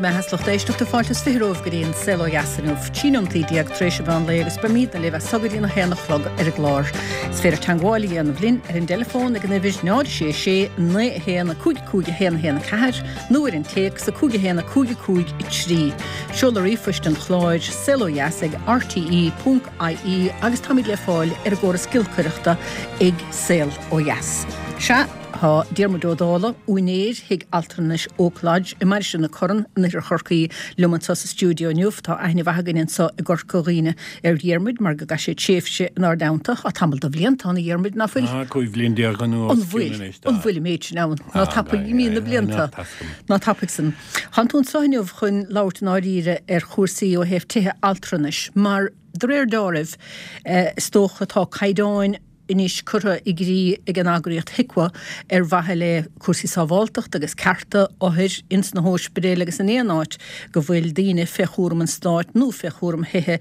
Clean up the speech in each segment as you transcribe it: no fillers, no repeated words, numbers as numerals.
mbeatha is lucht éisteachta, fáilte is 20 romhaibh go dtí an Saol Ó Dheas inniu, 13 neomataí tar éis an mheán lae agus beimidne libh as so go dtí an 1 a chlog ar an gclár. Is féidir teangmháil a dhéanamh linn ar an dteileafón ag an uimhir 0 6 6 9 1 5 5 1 1 4 nó ar an téacs 5 1 5 5 3. Seoladh ríomhphoist an chláir, saolodheas ag rte.ie agus táimid le fáil ar an gcóras giolcaireachta ag Saol Ó Dheas. Sea. Tá Diarmuid Ó Dálaigh, úinéir Thigh Altranais Oak Lodge i Mainistir na Corann in oirthear Chorcaí, liom anseo sa stiúideo inniu. Tá aithne mhaith againn anseo i gCorca Dhuibhne ar Dhiarmuid mar gur chaith sé tréimhse inár dteannta. Tá tamall de bhlianta ann, a Dhiarmuid, ná fuil? Tá 15 bhliain anuas An bhfuil? anois, tá. An bhfuil an méid sin ann? Ná tapaidh imíonn na blianta. Ná tapaidh san. Tánn tú anseo inniu chun labhairt i ndáiríre ar chúrsaí ó thaobh tithe altranais mar, de réir deáraimh, is dócha, tá caighdeáin, anois curtha i gcrích ag an eagraíocht HIQA ar mhaithe le cúrsaí sábháltachta agus cearta othair ins na hóispidéil agus in aon áit go bhfuil daoine fé chúram an stáit nó fé chúram thithe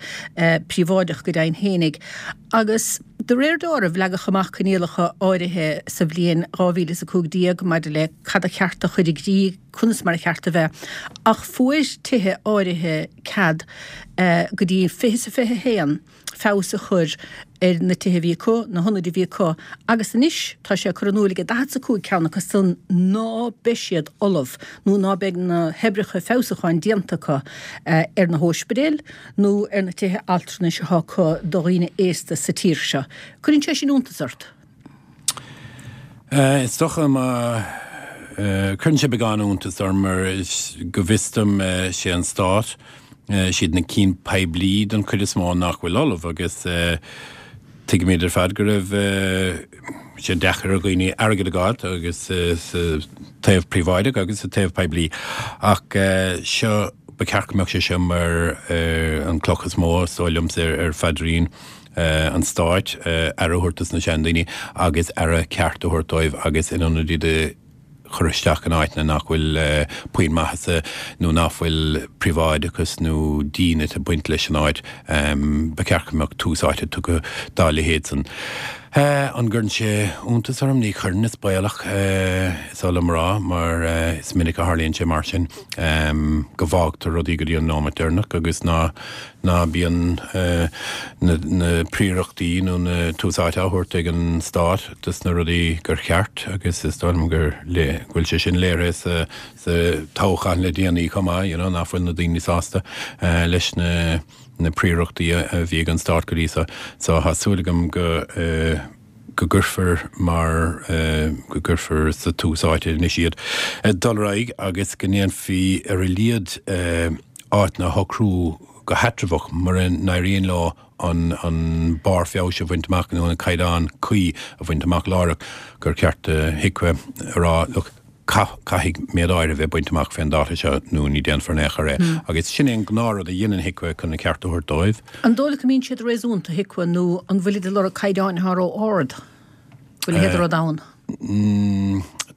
príobháideach go deimhin fhéinig. Agus de réir deáraimh leagadh amach coinníollacha áirithe sa bhliain 2015 maidir le cad a cheart a chur i gcrích, conas mar a cheart a bheith. Ach fuair tithe áirithe cead go dtí 2021. feabhas a chur ar na tithe a bhí acu, na hionaid a bhí acu, agus anois tá sé curtha in iúl ag 45 ceann acu san ná beidh siad ullamh nó ná beidh na hoibreacha feabhsúcháin déanta acu ar na hóispidéil nó ar na tithe altranais atá acu do dhaoine aosta sa tír seo. Cuireann sé sin iontas ort? Is dócha má cuireann sé beagán iontas orm mar go bhfios dom sé an stát, siad na cinn poiblí don chuid is mó nach bhfuil ullamh agus tuigimid ar fad go raibh sé deacair ar dhaoine airgead a fháilt agus sa taobh príobháideach agus sa taobh poiblí ach seo ba cheart go mbeadh sé seo mar an cloch is mó is dóigh liomsa ar phaidrín an stáit aire a thabhairt dos na seandaoine agus aire ceart a thabhairt dóibh agus in ionad iad a chur isteach in áiteanna nach bhfuil puinn maitheasa nó nach bhfuil príobháideachas nó dínit ag baint leis an áit, ba cheart go mbeadh tús áite tugtha dá leithéid san. An gcuireann sé iontas orm? Ní chuireann, is baolach, is oth liom a rá, mar is minic a tharlaíonn sé mar sin, go bhfágtar rudaí go dtí an nóimeat deireanach agus ná ná bíonn na príorachtaí nó na tús áite á thabhairt ag an stát dos na rudaí gur cheart agus is dóigh liom go bhfuil sé sin léirithe sa sa toghchán le déanaí chomh maith, you know, nach bhfuil na daoine sásta leis na na príorachtaí a bhí ag an stát go dtí so. So tá súil agam go go gcuirfear mar go gcuirfear sa tús áite anois iad dul ar aghaidh agus go ndéanfaí ar a laghad áiteanna a shocrú go heatramhach mura n-éiríonn leo an an barr feabhais a bhaint amach nó an caighdeán cuí a bhaint amach láithreach gur cheart do HIQA a rá look caithfidh méid áirithe a bheith bainte amach fén dáta seo nó ní déanfar in aon chor é. Agus sin é an gnáthrud a dhéanann HIQA chun an ceart a thabhairt dóibh. An dóigh leat go mbíonn siad réasúnta, HIQA, nó an bhfuilid ag lorg caighdeáin atá ró-ard? Bhfuil a leithéid de rud ann?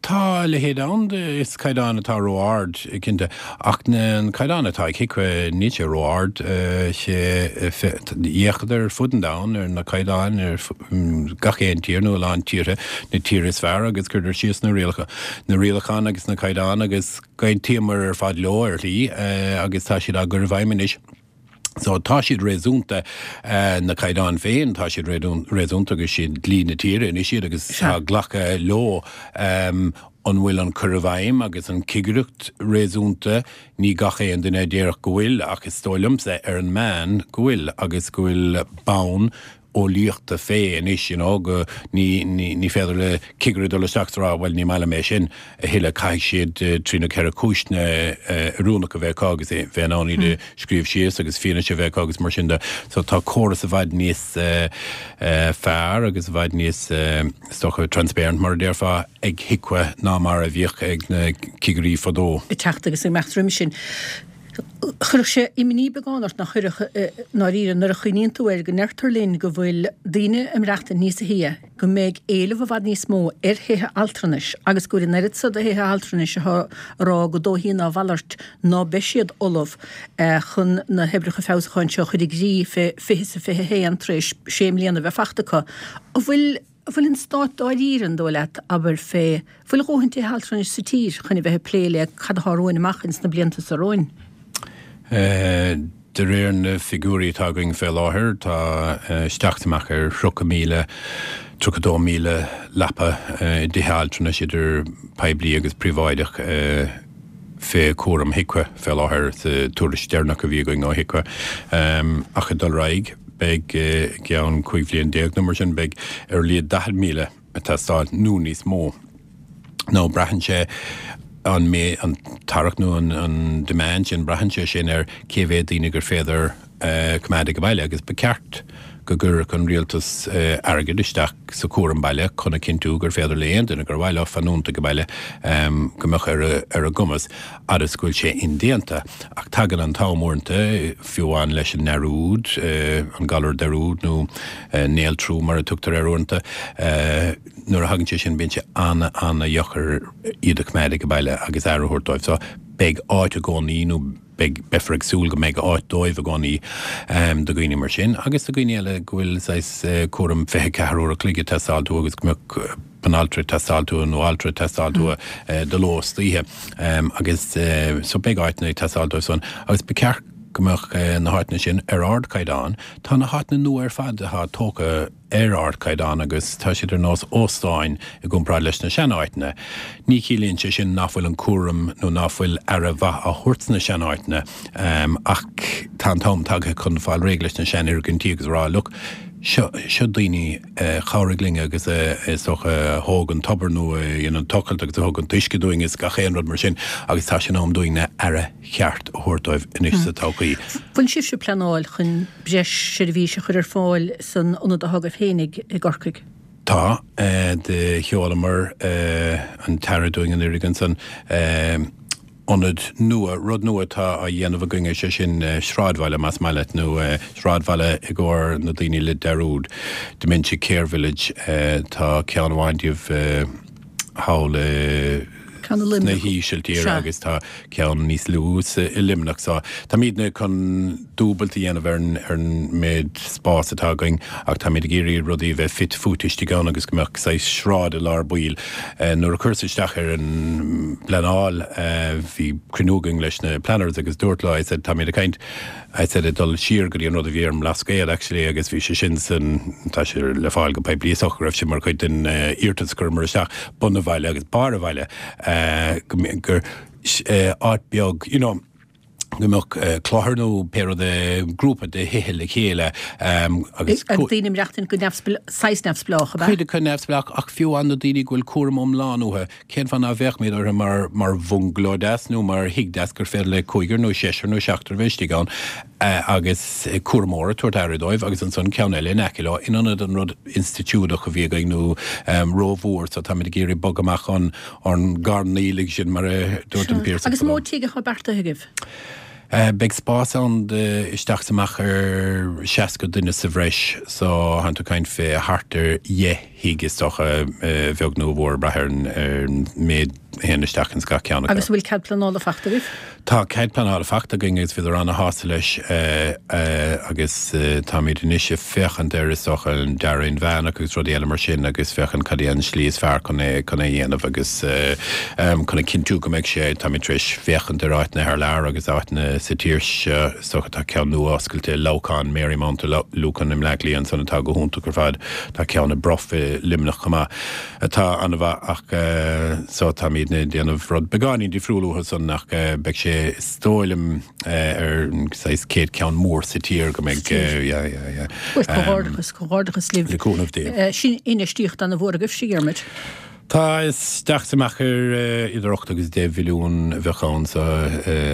Tá a leithéid ann, is caighdeán atá ró-ard, cinnte. Ach an caighdeán atá ag HIQA, níl sé ró-ard. D'fhéachadar ar fud an domhain ar na caighdeáin ar gach aon tír nó a lán tíortha, na tíortha is fearr agus chuireadar síos na rialacha, na rialacháin agus na caighdeáin agus d'aontaíomar ar fad leo ar shlí agus tá siad á gcur i bhfeidhm anois. So tá siad réasúnta, na caighdeáin féin, tá siad réasúnta agus siad dlí na tíre anois iad agus tá glactha leo. An bhfuil an cur i bhfeidhm agus an cigireacht réasúnta? Ní gach aon duine a déarfadh go bhfuil ach is dóigh liomsa ar an meán go bhfuil agus go bhfuil bonn eolaíochta fé anois, you know, go, ní, ní, ní féidir le cigire dul isteach is a rá, bhuel, ní maith liom é sin a thuilleadh, caithfidh siad trí nó ceithre cúiseanna oiriúnach a bheith acu agus bheith in ann iad a scríobh síos agus fianaise a bheith acu agus mar sin de. So tá córas i bhfad níos fearr agus i bhfad níos, is dócha, transparent mar a déarfá, ag HIQA ná mar a bhíodh ag na cigirí fadó. ag teacht agus ag imeacht roimhe sin. Chuirfeadh sé imní beagán ort, nach chuirfeadh, i ndáiríre, nuair a chuimhníonn tú air go ndeirtear linn go bhfuil daoine ag maireachtaint níos sia, go mbeidh éileamh i bhfad níos mó ar thithe altranais agus go bhfuil an oiread so de thithe altranais atá ag rá gur dóichí ná a mhalairt ná beidh siad ullamh chun na hoibreacha feabhsúcháin seo a chur i gcrích fé 20 is a 21 tar éis sé mbliana a bheith fachta acu. An bhfuil. An bhfuil an Stát dáiríre, an dóigh leat, abair, fé, bhfuil a dhóthain tithe altranais sa tír chun a bheith ag plé le cad atá romhainn amach ins na blianta seo romhainn? De réir na figiúirí atá againn fé láthair, tá isteach is amach ar 30,000, 32,000 leapa i dtithe altranais idir poiblí agus príobháideach fé chúram HIQA fé láthair sa tuairisc deireanach a bhí againn ó HIQA. Ach ag dul ar aghaidh, beidh i gceann 15 bhliain nó mar sin, beidh ar a laghad 40,000 ag teastáil nó níos mó. Nó braitheann sé an méid, an tarrac nó an demand sin, braitheann sé sin ar cé mhéad daoine gur féidir coimeád ag baile agus ba cheart go gcuirfeadh an rialtas airgead isteach sa chúram baile chun a chinntiú gur féidir le aon duine gur mhaith leo fanúint ag baile go mbeadh ar a gcumas fhad is go bhfuil sé indéanta. Ach tagann an t-am uaireanta, fiú amháin leis an ndearúd, an galar dearúd nó néaltrú mar a tugtar air uaireanta, nuair a thagann sé sin bíonn sé ana-ana-dheacair iad a choimeád ag baile agus aire a thabhairt dóibh. So beidh áit i gcónaí nó beidh, beifear ag súil go mbeidh áit dóibh i gcónaí do dhaoine mar sin agus do dhaoine eile go bhfuil saghas cúram 24 uair a chloig ag teastáil uathu agus go mbeadh banaltra ag teastáil uathu nó altra ag teastáil uathu de ló is d'oíche agus so beidh áiteanna ag teastáil dóibh san agus ba cheart go mbeadh na háiteanna sin ar ardchaighdeán. Tá na háiteanna nua ar fad atá tógtha ar ardchaighdeán agus tá siad ar nós óstáin i gcomparáid leis na seanáiteanna. Ní chiallaíonn sé sin nach bhfuil an cúram nó ná fuil aire mhaith á thabhairt sna seanáiteanna ach tá an t-am tagtha chun fáil réidh leis na seanfhoirgintí agus a rá look, seo, seo daoine a chabhraigh linn agus a, is dócha, a thóg an tobar nó a dhein an tochailt agus a thug an t-uisce dúinn is gach aon rud mar sin agus tá sé in am dúinn na aire cheart a thabhairt dóibh anois sa todhchaí. Bhfuil sibhse ag pleanáil chun breis seirbhíse a chur ar fáil san ionad atá agaibh féinig i gCorcaigh? Tá. Do sheolamar an t-aire dúinn anuraidh ansan ionad nua, rud nua atá á dhéanamh againn, is é sin sráidbhaile, más maith leat, nó sráidbhaile i gcomhair na daoine le dearúd, Dementia Care Village. Tá ceann amháin díobh thall i. Ceann i sna Luimneach. hÍsiltír Sea. agus tá ceann níos lú sa, i Luimneach. So, táimidne chun dúbailt a dhéanamh ar an, ar an méid spás atá againn ach táimid ag iarraidh rudaí a bheith fite fuaite istigh ann agus go mbeadh saghas sráid i lár baill. Nuair a chuireas isteach ar an bpleanáil, bhí cruinniú againn leis na planners agus dúrt leo, I said, táimid ag caint, I said ag dul siar go dtí an rud a bhí ar an mBlascaod actually agus bhí sé sin san, tá sé le fáil go poiblí is dócha go raibh sé mar chuid den iarratas a chuireamar isteach, bun an bhaile agus barr an bhaile go gur áit beag you know go mbeadh cluthar nó pé rud é, grúpa de thithe le chéile agus. Agus daoine ag maireachtaint go neamhspleách, saghas neamhspleách, ab ea? Cuid acu neamhspleách ach fiú amháin na daoine go bhfuil cúram iomlán uathu, Cén fáth ná bhféachfaimid orthu mar mar bhungaló deas nó mar thigh deas gur féidir le cúigear nó seisear nó seachtar a bheith istigh ann agus cúramóir ag tabhairt aire dóibh agus ansan ceann eile in aice leo in ionad an rud institiúideach a bhí againn nó rómhór so táimid ag iarraidh bogadh amach ón ón gcarn aoiligh sin mar a dúirt an Piarsach Agus an mó tigh atá beartaithe agaibh? Beidh spás ann do isteach is amach ar 60 duine sa bhreis so tánn tú ag caint fé thart ar dheich thigh is dócha, a bheag nó a mhór, ag brath ar an méid a théann isteach ins gach ceann acu. Agus an bhfuil cead pleanála fachta agaibh? Tá cead pleanála fachta againn agus bhíodar ana-shásta leis agus táimid anois ag féachaint ar, is dócha, an dearadh inmheánach agus rudaí eile mar sin agus féachaint cad é an slí is fearr chun é chun é a dhéanamh agus chun a chinntiú go mbeidh sé, táimid tar éis féachaint ar áiteanna thar lear agus áiteanna sa tír seo, is dócha tá ceann nua oscailte i Leamhcán, Marymount i Lucan i mBleá Cliath ansan atá go hiontach ar fad. Tá ceann i Bruff i Luimneach chomh maith atá an-mhaith ach so táimidne ag déanamh rud beagáinín difriúil uathu san ach beidh sé is dóigh liom ar an saghas céad ceann mór sa tír go mbeidh yeah yeah yeah. Bhuel comhghairdeachas, comhghairdeachas libh. Le cúnamh Dé. Sin infheistíocht ana-mhór agaibhse, Diarmuid. Tá isteach is amach ar idir 8 agus 10 mhilliún a bheadh ann so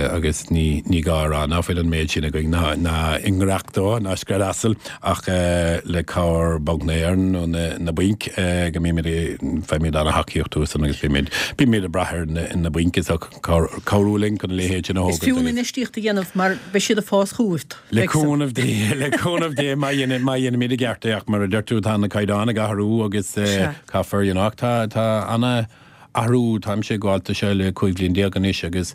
agus ní ní gá a rá ná fuil an méid sin againn ná ná i ngnách dó ná scread asail ach le cabhair Banc na hÉireann nó na na bainc go mbímid faighimid ana-thacaíocht uathu san agus bímid bímid ag brath ar na na bainc is cabhrú linn chun a leithéid sin a Is thógaint fiú an agus. infheistíocht a dhéanamh mar beidh siad ag fás chugat. Le cúnamh Dé, le cúnamh Dé má dhéanaimid i gceart é ach mar a deir tú tá na caighdeáin ag athrú agus Caithfear, you know, ach tá, tá ana athrú, táimse ag gabháil do seo le 15 bhliain anois agus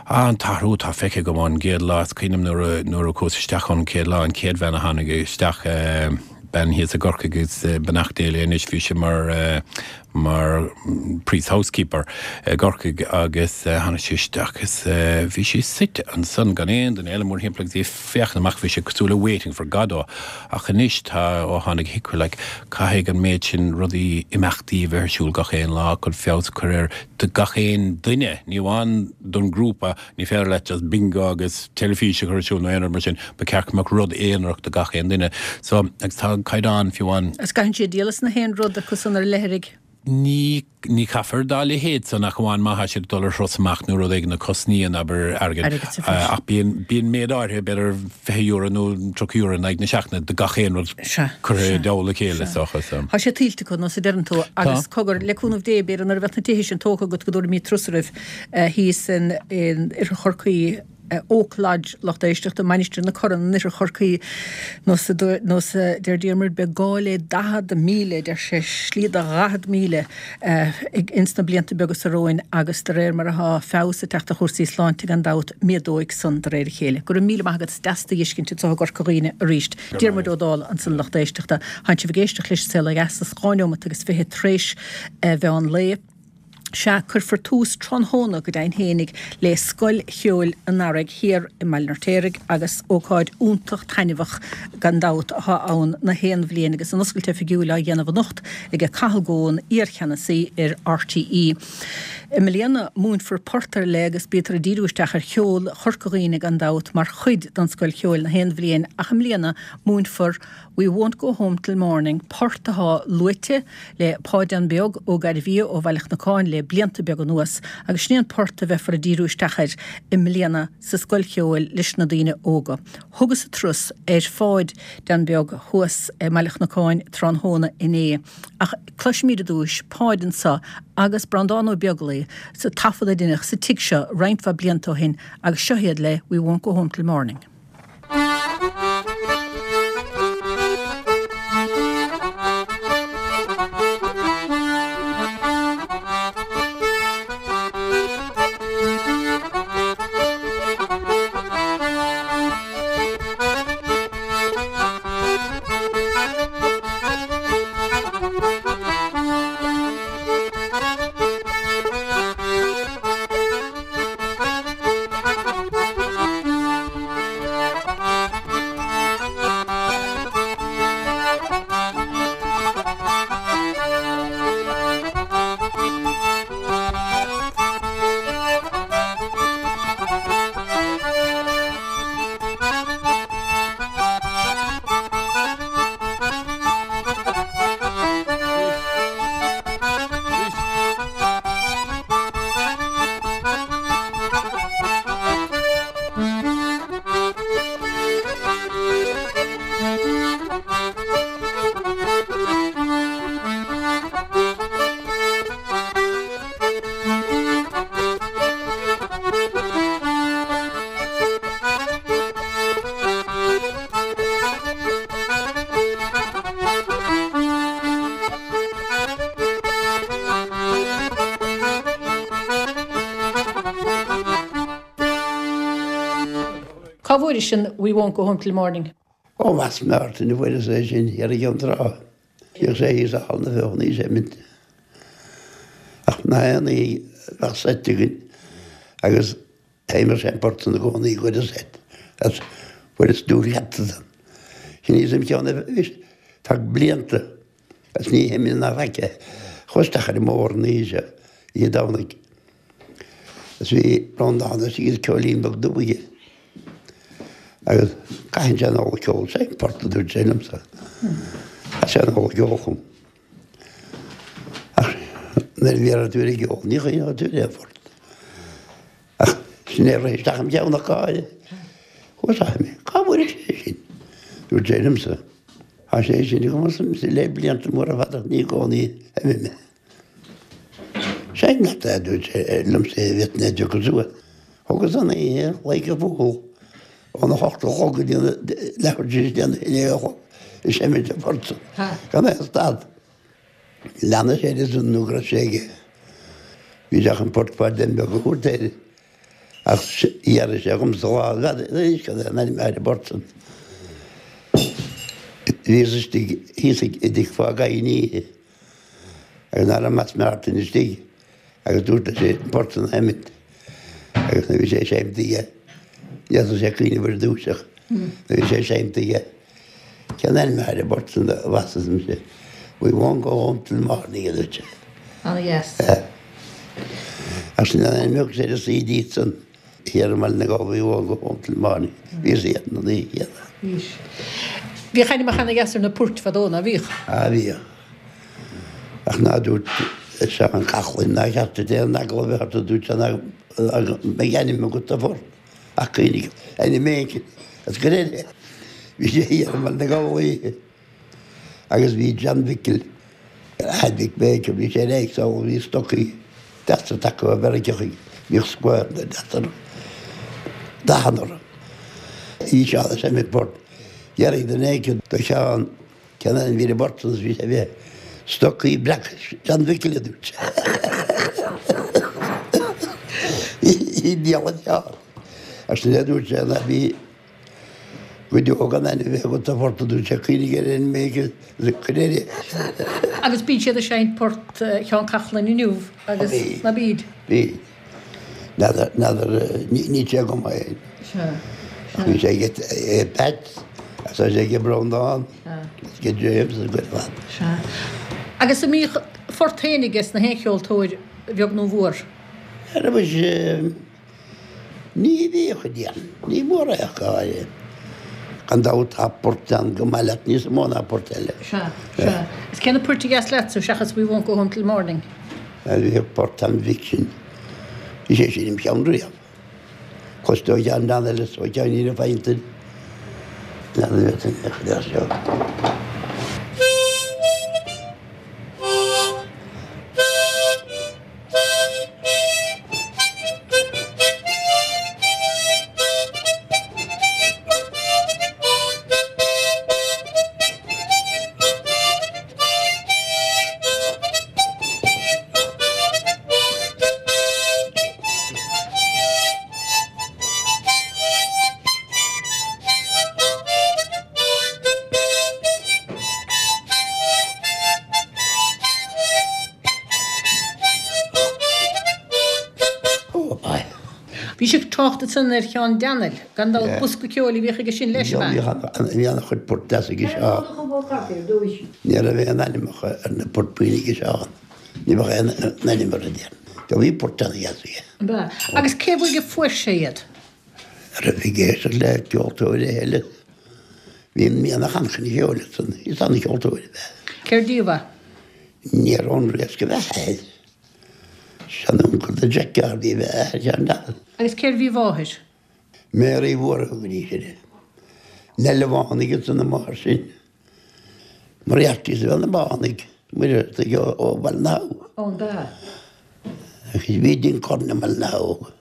an t-athrú atá feicthe agam ón gcéad lá, is cuimhin liom nuair a, nuair a chuas isteach an chéad lá, an chéad bhean a tháinig isteach. Bean thíos i gCorcaigh agus beannacht Dé léi anois, bhí sí mar mar priest housekeeper i gCorcaigh agus tháinig sí isteach agus bhí sí suite ansan gan aon duine eile mórthimpeall agus í ag féachaint amach, bhí sé cosúil le Waiting for Godot ach anois tá, ó tháinig HIQA like, caithfidh an méid sin rudaí, imeachtaí a bheith ar siúl gach aon lá chun feabhas a chur air do gach aon duine, ní amháin don ghrúpa. Ní féidir leat just bingo agus teilifís a chur ar siúl nó aon rud mar sin, ba cheart go mbeadh rud aonarach do gach aon duine. So, agus tá an caighdeán fiú amháin. Agus gcaitheann siad díol as na haon rud acu san ar leithrigh. Ní, ní chaithfear dá leithéid san ach amháin má thá siad ag dul ar thuras amach nó rud éigin a chosnaíonn, abair, airgead. Airgead sa bhreis. Ach bíonn, bíonn méid áirithe, b'fhéidir €20 nó €30 in aghaidh na seachtaine do gach aon rud curtha i dtoll a chéile, is dócha. So. Tá sé tuillte acu, nós a deireann tú. Agus cogar, le cúnamh Dé, b'fhéidir nuair a bheadh na tithe sin tógtha agat go dtabharfaimid turas oraibh. thíos in Oirthear Chorcaí, Oak Lodge, lucht éisteachta, Mainistir na Corann in Oirthear Chorcaí, nós a deir Diarmuid, beidh gá le 40,000, deir sé, slí do 40,000 ins na blianta beaga seo romhainn agus de réir mar atá feabhas ag teacht ar chúrsaí sláinte gan dabht, méadóidh san de réir a chéile. Go raibh míle maith agat, is deas tú a fheiscint anseo i gCorca Dhuibhne arís. Diarmuid Ó Dálaigh ansan lucht éisteachta. Tánn sibh ag éisteacht leis An Saol Ó Dheas, is 2 neomat agus 20 tréis mheán lae. Sea, cuirfear tús tráthnóna go deimhin fhéinig le Scoil Cheoil an Earraigh thiar i mBaile an Fheirtéaraigh agus ócáid iontach taitneamhach gan dabht atá ann na haon bhliain agus an oscailt oifigiúil á dhéanamh anocht ag Cathal Goan, iar-cheannasaí ar RTÉ. I mbliana múinfear port ar leith agus bítear ag díriú isteach ar cheol Chorca Dhuibhne gan dabht mar chuid den Scoil Cheoil na haon bhliain ach i mbliana múinfear We Won't Go Home Till Morning, port atá luaite le Páideán Beag Ó Gairbhia ó Bhaile Chnocáin le blianta beaga anuas, agus sin é an port a bheifear ag díriú isteach air i mbliana sa Scoil Cheoil leis na daoine óga. Thugas-sa turas ar Pháideán Beag thuas i mBaile Chnocáin tráthnóna inné, ach cloisfimid i dtúis Páid anso agus Breandán Ó Beaglaoi sa taifead a deineadh sa tigh seo roinnt mhaith blianta ó shin agus seo iad le We Won't Go Home Till Morning. Cá bhfuairis sin We won't go home till morning? Ó Mheas Martin a fuaireas é sin thiar i gCeann Trá. Bhíodh sé thíos i Halla na Feothanaí ag seimint. Ach na haon oíche bheadh seit againn agus sheinneadh sé an port san i gcónaí i gcuid an seit. Agus fuaireas dúr-cheapta san. Sin thíos im cheann anois tá blianta agus ní sheiminn ná faic é. Chuas isteach ar an mbóthar an oíche seo, oíche Domhnaigh. Agus bhí Breandán istigh agus Cóilín beag dubh aige. Agus caitheann sé an ola ceol, seinn port a dúirt sé liomsa. Chaith sé an ola ceol chugam. Ach nuair a bhí tú ar an gceol, ní chuimhneodh tú ar aon phort. Ach sin é a rith isteach im cheann ach gáire. Chuas isteach mé, cá bhfuair sé sin? Dúirt sé liomsa. Tá sé sin agam le blianta móra fada ní i gcónaí a bhí mé. Seinn leat é, a dúirt sé liomsa, a bhí mé ag piocadh suas. Thugas an oíche like a fool óna hocht a chlog go dtí leathuair tar éis a haon a chlog ag seimint an phort san gan aon stad. Lean sé air ansan nó go raibh sé aige. Bhí sé chun port Pháidín Beag a thabhairt air ach d'iarr sé dhomsa lá, n'fheadar anois cad é an ainm ar an bport san. Bhíos istigh thíos i dtigh Pháidí an oíche agus ná raibh Matt Martin istigh agus dúirt leis an bport san a sheimint agus nuair a bhí sé seimte aige ní fhéadfadh sé cuimhneamh ar dtús ach nuair a bhí sé seimte aige cén ainm atá ar an bport san a mheas mise We won't go home till morning a dúirt sé. Ana dheas. Ach sin an ainm a thug sé ar an CD san. Thiar i mBaile na nGall We won't go home till morning. Bhíos iad na naoi gcéad. Bhís. Bhíodh ainmneacha ana dheas ar na poirt fadó, ná bhíodh? Ah bhíodh. Ach ná dúirt Seán Cathláin nár cheart duit aon eagla a bheith ort a dúirt sé ná mbeidh ainm agat do phort ach cuimhnigh ainm éigin as go léir. Bhí sé thiar i Mbaile na nGall oíche. Agus bhí John Mhicil, athair Mhick Baker, bhí sé ar éigse ó bhí stocaí deasa tagtha ó Mheiriceá chuige, bhíodh square deasa orthu, dathanna orthu. Bhí sé ag seinm port, d'fhiafraigh duine éicint de Sheán cén ainm a bhí ar an bport san is bhí sé bhí stocaí breaca John Mhicil a dúirt sé. Bhí diabhal Sheán. Ach sin é a dúirt sé ná bhí Go deo gan ainm a bheith agat do phort a dúirt sé, cuimhnigh ar ainm éigin agus cuir air é. Agus bíonn siad ag seinnt port Sheán Cathláin inniu agus ná bíd? Bíd. N'fheadar, n'fheadar, níl sé agam féin. Sea, sea. Bhí sé ag Pat, agus tá sé ag Breandán, agus ag James agus go fad. Sea. Agus an mbíodh phort féin aige sna haon cheoltóir, bheag nó mhór? Ara muise. Ní bhíodh, a déarfainn. Ní mór é ach go háirithe. Gan dabht tá port ann go maith leat níos mó ná port eile. Sea, sea. Is cé na poirt a dheas leatsa seachas We Won't Go Home Till Morning? Bhíodh port an Mhic sin. Bhí sé sin im cheann riamh. Cloiste ó cheann bean eile is ó cheann na feinnte. Lean a bheith san seo. Bhí sibh ag trácht ansan ar Sheán Daniel, gan dabht bosca ceoil a bhíodh aige sin leis, ab ea? Bhí an-chuid port deas aige Seán. Ní raibh aon ainmneacha ar na poirt bhuí aige Seán. Ní bheadh aon ainm orthu, déarfainn. Bhí port an-dheas aige. Ab ea? Agus cé uaidh a fuair sé iad? Raibh ag éisteacht le ceoltóirí eile. Bhí mianach an-chine cheoil ansan. Is an-cheoltóir ab ea. Cér díobh é? Ní raibh an riasc a bheith air. Seanuncail do Jack Garvey ab ea athair Sheáin Daniel. Agus cérbh í a mháthair? Mary Mhór a thugaidís uirthi. Nell an Bhánaigh ansan a máthair sin. Moriartys ab ea na Bánaigh, Muircheartaigh ó Bhaile na hAbha. Ó, an ea? Agus bhí Ding Corn i mBaile na hAbha.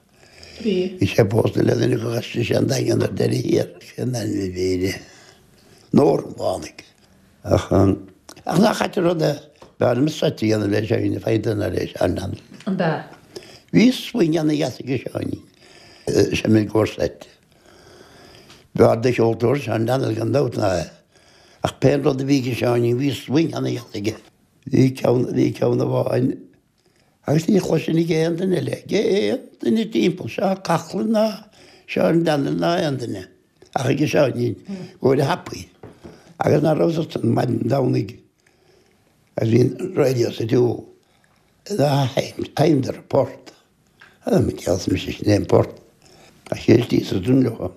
Bhí. Bhí sé pósta le duine acu d'aistrigh sé an Daingean ar deireadh thiar. Cén ainm a bhí uirthi? Nóra an Bhánaigh. Ach, ach nach ait an rud é, b'fhearr liom seit a dhéanamh le Seáinín Fada ná le Seán Daniel. An ea? Bhí swing ana-dheas aige Seáinín. Sé mé gcomhair seit. B'fhearr de cheoltóir Seán Daniel gan dabht ná é. Ach pé rud a bhí aige Seáinín bhí swing ana-dheas aige. Bhí ceann, bhí ceann amháin agus ní chloisinn ag aon duine eile, ag aon duine timpeall, Seán Coughlan ná Seán Daniel ná aon duine ach ag Seáinín, go bhfuil a thapaí. Agus ná raibh san maidin Domhnaigh agus bhí an radio sa tsiúl, sheinneadar port. An mise sin é an port. Ach éist sa dún leo.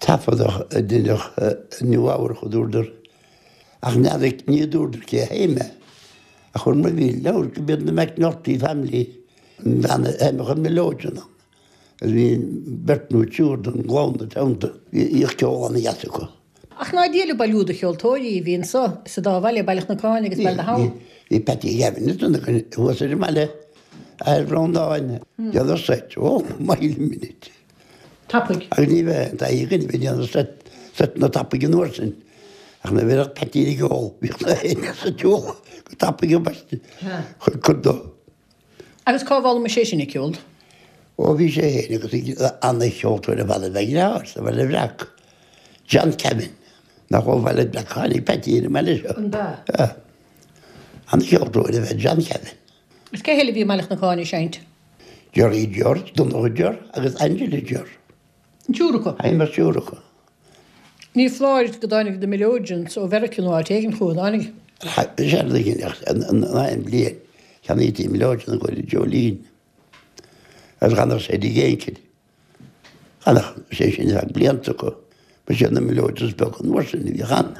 Taifeadadh a deineadh i Nua Eabhrach a dúradar. Ach n'fheadar ní dúradar cé a sheinn é. Ach chuir mo mhíle leabhar go mb'iad na McNulty family an bhean a sheinneadh an mileoidean ann. Agus bhí beirt nó triúr den gclann ina teannta. Bhíodh ceol ana-dheas acu. Ach ná Dia ba lú de cheoltóirí a bhí anso sa dá bhaile, Baile Chnocáin agus Baile na hAbha. Bhí Patty Gavin ag duine againn thuas ar an mbaile, athair Bhreandáin, déanamh seit, oh mile minute. Tapaidh. Agus ní bheadh aon taithí againn a bheith ag déanamh seit, seiteanna tapaidh an uair sin. Ach nuair a bheadh Patty ag ól, bhíodh na héinne sa tsiúl go tapaidh ambaiste chun cur dó. Agus cá bhfoghlaim sé sin ag ceol? Ó bhí sé féin agus ana-cheoltóir ar fad ab ea a dheartháir sa Bhaile Bhreac, John Kevin. Nach ó Bhaile Breac a tháinig Peaití ar an mbaile seo. An b'ea? Ea. An-cheoltóir ab ea John Kevin. Is cé eile a bhí i mBaile Chnoc Áine ag seinnt? Jerry George, Donncha Ger agus Angela Ger. An triúr acu? Sheinn an triúr acu. Ní foláir go dtáinig na Melodeons ó Mheiriceá nó áit éigin chucu, an dtáinig? Séard a dhéanadh an aon bhliain, cheannaítí Melodeon i gcomhair Jolene agus d'fhanadh sé i dtigh Aoncair. D'fhanadh sé sin ar feadh blianta acu. Ba siad na Melodeons beaga an uair sin a bhíodh ann,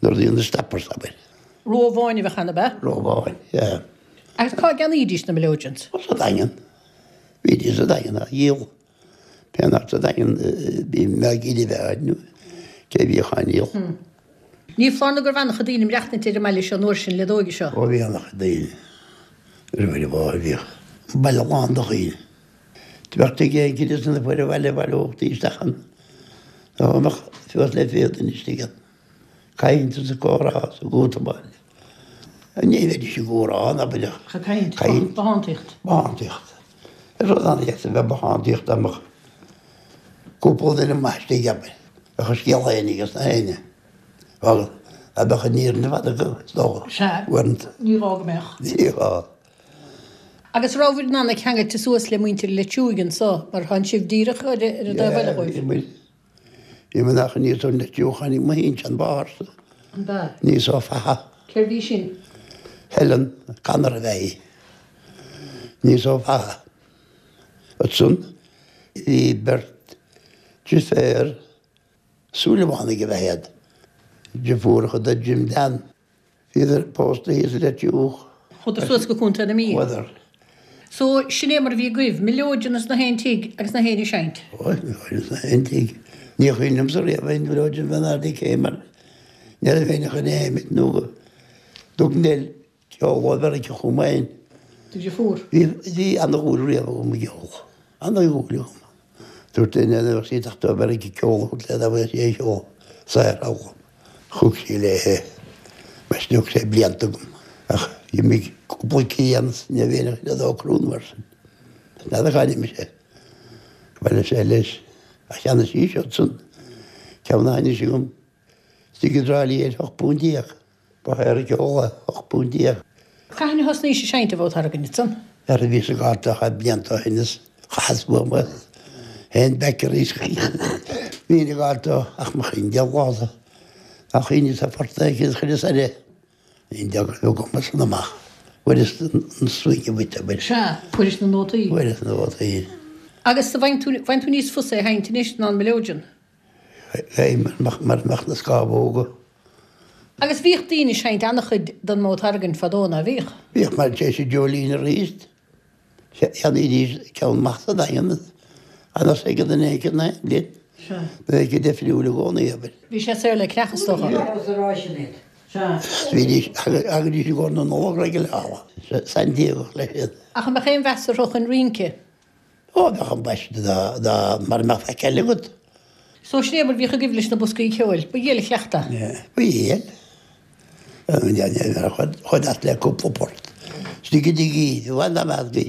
nuair a bhí na Stoppers, abair. Ró amháin a bheadh ann, ab ea? Ró amháin, yeah. Agus cá gceannaídís na Melodeons? Ó, sa Daingean. Bhídís sa Daingean á dhíol. Pé nach sa Daingean, bhí Maggie de Bheáin nó cé a bhíodh á ndíol. Ní foláir nó go raibh an-chuid daoine ag maireachtaint ar an mbaile seo an uair sin leadóige seo. Ó bhí an-chuid daoine. Roimh an bhfáth bhíodh an baile lán de dhaoine. Do bheadh tigh éigin ins na foir bhaile bhaileochtaí isteach ann. Dá mbeadh suas le 20 duine istigh ann. Caint is ag comhrá is ag útamáil. Ní bheidís ag comhrá ná b'fhéidir. Ach ag caint. Bothántaíocht. Bothántaíocht. Is rud an-deas a bheith bothántaíocht dá mbeadh cúpla duine maith istigh abair. Bheadh a scéal féin aige sna héinne. Bhuel, dá mbeadh an fhírinne fada acu, is dócha. Sea. Uaireanta. Ní gá go mbeadh. Ní gá. Agus rabhabhair in ann a ceangailte suas le muintir Leitir Uaighe anso, mar thánn sibh díreach ar an dtaobh eile dhóibh. Bhí muid, bhí muid nach aníos ón Leitir Uaighe, tháinig mo shinsean-mháthairsa An b'ea? aníos ó Fatha. Cérbh í sin? Helen Connor ab ea í. Aníos ó Fatha. Ansan bhí beirt deirféar Súilleabhánaigh ab ea iad, deirfiúracha do Jim Dan. Bhíodar pósta thíos i Leitir Uaighe. Chuadar suas go Contae na Mí. Chuadar. So, sin é mar a bhí agaibh, mileoidean ins na haon tigh agus na héinne ag seinnt. Ó, mileoidean ins na haon tigh. Ní chuimhin liomsa riamh aon mhileoidean bheith in airde cé mar ní raibh éinne chun é a sheinnt nó go dtug Nell ceol ó Mheiriceá chugam féin. Do dheirfiúr. Bhí, bhí ana-dhúil riamh agam i gceol. Ana-dhúil agam. Dúirt duine nuair a bheadh sí ag teacht ó Mheiriceá ceol a thabhairt léi dá bhfaigheadh sí aon cheol saor a fhoghlaim. Thug sí léi é. Mar sin thug sé blianta agam. Ach d'imigh cúpla cian is ní raibh aon chuid dá crú mar sin. N'fheadar cá n-imigh sé. Bhailigh sé leis. Ach cheannaigh sí siadsan ceann a tháinig chugam istigh i dTrá Lí ar hocht bpunt déag. Ba shaor an ceol é, 18 bpunt. Cathain a thosnaís ag seinnt an bhodhtargain ansan? Nuair a bhíos ag gabháil dó blianta ó shin is chaitheas uaim é féin beic arís. Bhínn ag gabháil dó ach mo chuimhne deich lá dá chuimhneas ar phort éigin chuireas air é. Ní deacair go gcumas san amach. Fuaireas an swing a bhaint abair. Sea, fuairis na nótaí. Fuaireas na nótaí. Agus bhfaigheann tú, bhfaigheann tú níos fusa é a sheinnt anois ná an mileoidean? Bheinn mar a mbeadh na scamhóga. Agus bhíodh daoine ag seinnt an-chuid den mbodhtargain fadó, ná bhíodh? Bhíodh, mar tar éis Jolene arís. Cheannaídís ceann maith sa Daingean agus ag an duine éicint na linn. Sea. Bheadh sé difriúil i gcónaí, abair. Bhí sé saor le ceannach, is dócha. Sea. Bhídís, thagaidís i gcomhair na Nollag regularly. San Diego leis iad. Ach an mbeadh aon mheas orthu chun rince? Ó, bheadh ambaiste dá mara mbeadh faic eile agat. So sin é mar bhíodh agaibh leis na boscaí ceoil. Ba dhiail an cleachtadh. Ba dhiail. Chuaigh as le cúpla port. Istigh i dtigh í, bhain dá mbeadh bhí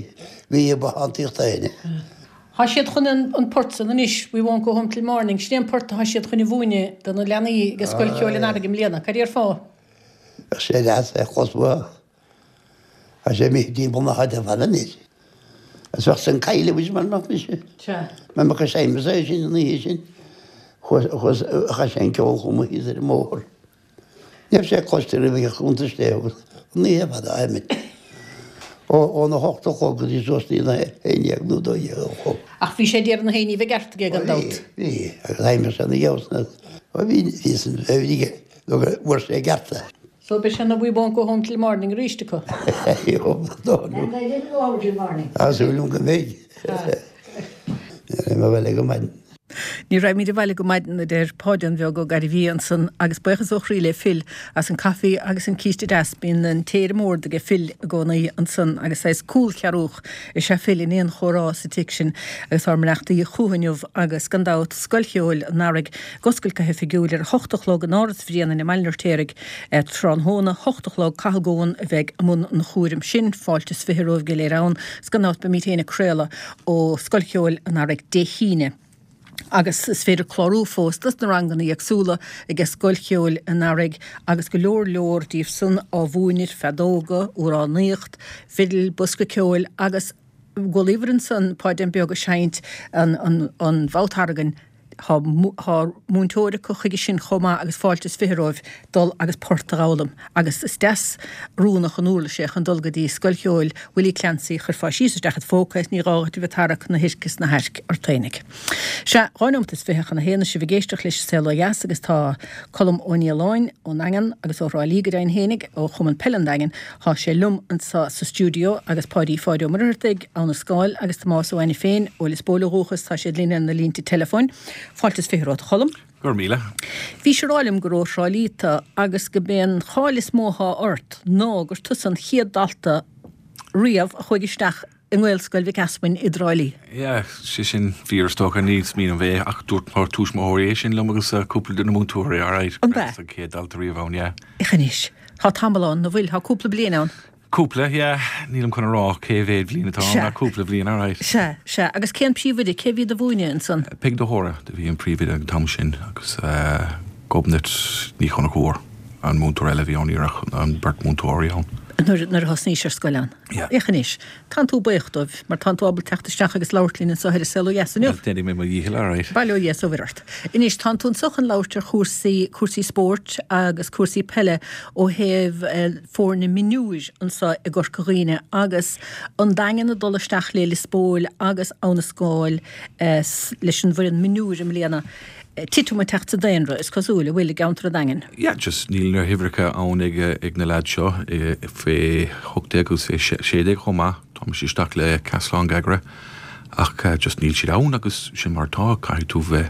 bhí bothántaíocht éinne. Tá siad chun an port san anois, We won't go home till morning, sin é an port atá siad chun a mhúineadh do na leanaí ag Scoil Cheoil an Earraigh i mbliana. Cad é ar fáth? Bheadh sé deas é a chlos uathu. Tá sé imithe timpeall na háite ar fad anois. Is bheadh san cailleadh anois mar mbeadh mise. Sea. Mar mbeadh a seimeas é sin an oíche sin. Chuas, chaith sé an ceol chomh maith thíos ar an mbóthar. Ní raibh sé cloiste roimh a chuntas dé agus an oíche ar fad á sheinm. Ó, óna hocht a chlog go dtí suas dtí na haon dhéag nó dó dhéag a chlog. Ach bhí sé ag iarraidh na haon ní bheith ceart aige gan dabht. Bhí, bhí. Agus sheinneadh sé na gheabhsanna. Ó bhí, bhí san, bhí aige nó go bhfuair sé a gceart é. So beidh sé na We won't go home till morning arís acu. And I didn't go home till morning. Tá súil agam go mbeidh. Ní raibh mé abhaile go maidin. Ní raghaimid abhaile go maidin, a deir Páidín Bheag Ó Gairbhí ansan agus buíochas ó chroí le Phil as an caife agus an císte deas. Bíonn an tae ar an mbord aige Phil i gcónaí ansan agus saghas cúlchearúch is ea Phil in aon chomhrá sa tigh sin agus ár mbeannachtaí chucu inniu agus gan dabht Scoil Cheoil an Earraigh ag oscailt go hoifigiúil ar a hocht a chlog in Áras Bhréanainn i mBaile an Fheirtéaraigh. Tráthnóna, 8 a chlog, Cathal Goan a bheidh i mbun an chúraim sin. Fáilte is 20 romhaibh go léir ann. 'S gan dabht beimid féin ag craoladh ó Scoil Cheoil an Earraigh Dé hAoine. Agus is féidir clárú fós dos na ranganna éagsúla aige Scoil Cheoil an Earraigh agus go leor leor díobh san á mhúineadh, feadóga, amhránaíocht, fidil, bosca ceoil agus chualabhair ansan Páidín Beag ag seinnt an an mouth organ. Tá múinteoir acu chuige sin chomh maith agus fáilte is 20 romhaibh dul agus port a dh'fhoghlaim agus is deas oiriúnach an uirlis é chun dul go dtí Scoil Cheoil Willie Clancy, chuirfeá síos isteach id phóca é is ní gá dhuit a bheith ag tarrac na hoirc is na hairc ort fhéinig. Sea, 2 nóimeat is 20 chun a haon is sibh ag éisteacht leis an Saol Ó Dheas agus tá Colm Ó Nialláin ón nDaingean agus ó Thrá Lí go deimhin fhéinig, ó Chumann Peile an Daingin, Thá sé liom anso sa stiúideo agus Páidí Pháid Ó Muircheartaigh, Abha na Scáil, agus Tomás Ó Ainiféin, ó Lios Póil ó dhúchas, tá siad linn ar na línte teileafóin. Fáilte is 20 romhat, a Choilm. Go raibh míle. Bhís ag rá liom gur ó Thrá Lí tú agus go b'é an cháil is mó athá ort ná gur tusa an chéad dalta riamh a chuaigh isteach i nGaelscoil Mhic Easmainn i dTrá Lí. Yeah, sé sin fíor is dócha, ní smaoiním é ach dúirt mo tuismitheoirí é sin liom agus cúpla de na múinteoirí, alright. An b'ea? An chéad dalta riamh ann, yeah. Ach anois, tá tamall ann, an bhfuil? Tá cúpla bliain ann. Cúpla, yeah. Nílim chun a rá cé mhéad bhliain atá ann ach cúpla bhliain, alright. Sea, sea. Agus cén príomhoide, cé bhí do mhúineadh ansan? Peig de hÓra do bhí an príomhoide ag an t-am sin agus Gobnait Ní Chonchúir an múinteoir eile a bhí ann, ní raibh ach an beirt múinteoirí ann. Nuair, nuair a thosnaís ar scoil ann. Yeah. Féach anois, tánn tú buíoch dóibh, mar tánn tú ábalta teacht isteach agus labhairt linn anseo ar An Saol Ó Dheas inniu. Well, déanfaidh mé mo dhícheall, alright. Bail ó Dhia is ó Mhuire ort. Anois, tánn tú anseo chun labhairt ar chúrsaí, cúrsaí spóirt agus cúrsaí peile ó thaobh foirne mionúir anseo i gCorca Dhuibhne agus an Daingean ag dul isteach le Lios Póil agus Abha na Scáil leis an bhfoireann mionúir i mbliana. Titim ag teacht sa daonra, is cosúil, an bhfuil, i gceantar an Daingin? Yeah, just níl na huimhreacha ann ag ag na leaids seo fé 18 agus fé 16 chomh maith. Táimid isteach le Caisleán Ghagartha ach just níl siad ann agus sin mar atá. Caithfidh tú bheith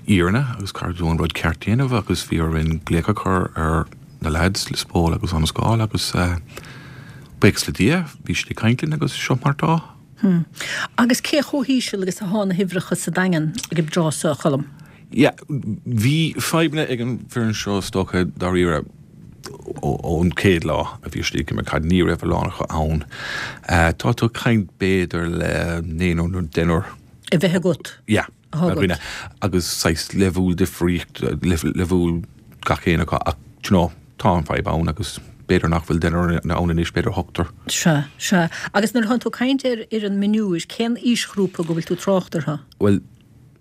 fhírinne agus caithfidh tú an rud ceart déanamh agus bhí orainn glaoch a chur ar na leaids, Lios Póil agus Abha na Scáil agus buíochas le Dia bhí siad ag caint linn agus seo mar atá. Hm. Agus cé chomh híseal agus athá na huimhreacha sa Daingean ag an dtráth so, a Choilm? Yeah, bhí fadhbanna ag an bhfoireann seo is dócha dáiríre ón chéad lá a bhí siad ag imirt caid, ní raibh a lán acu ann. Tá tú ag caint b'fhéidir le naonúr nó deichniúr. A bheith agat. Yeah. Athá agat. Agus saghas leibhéal difríocht, leibhéal gach aon acu ach do you know tá an fadhb ann agus b'fhéidir nach bhfuil deichniúr ann anois, b'fhéidir ochtar. Sea, sea. Agus nuair atánn tú ag caint ar fhoireann mionúir, cén aoisghrúpa go bhfuil tú ag trácht orthu? Bhuel,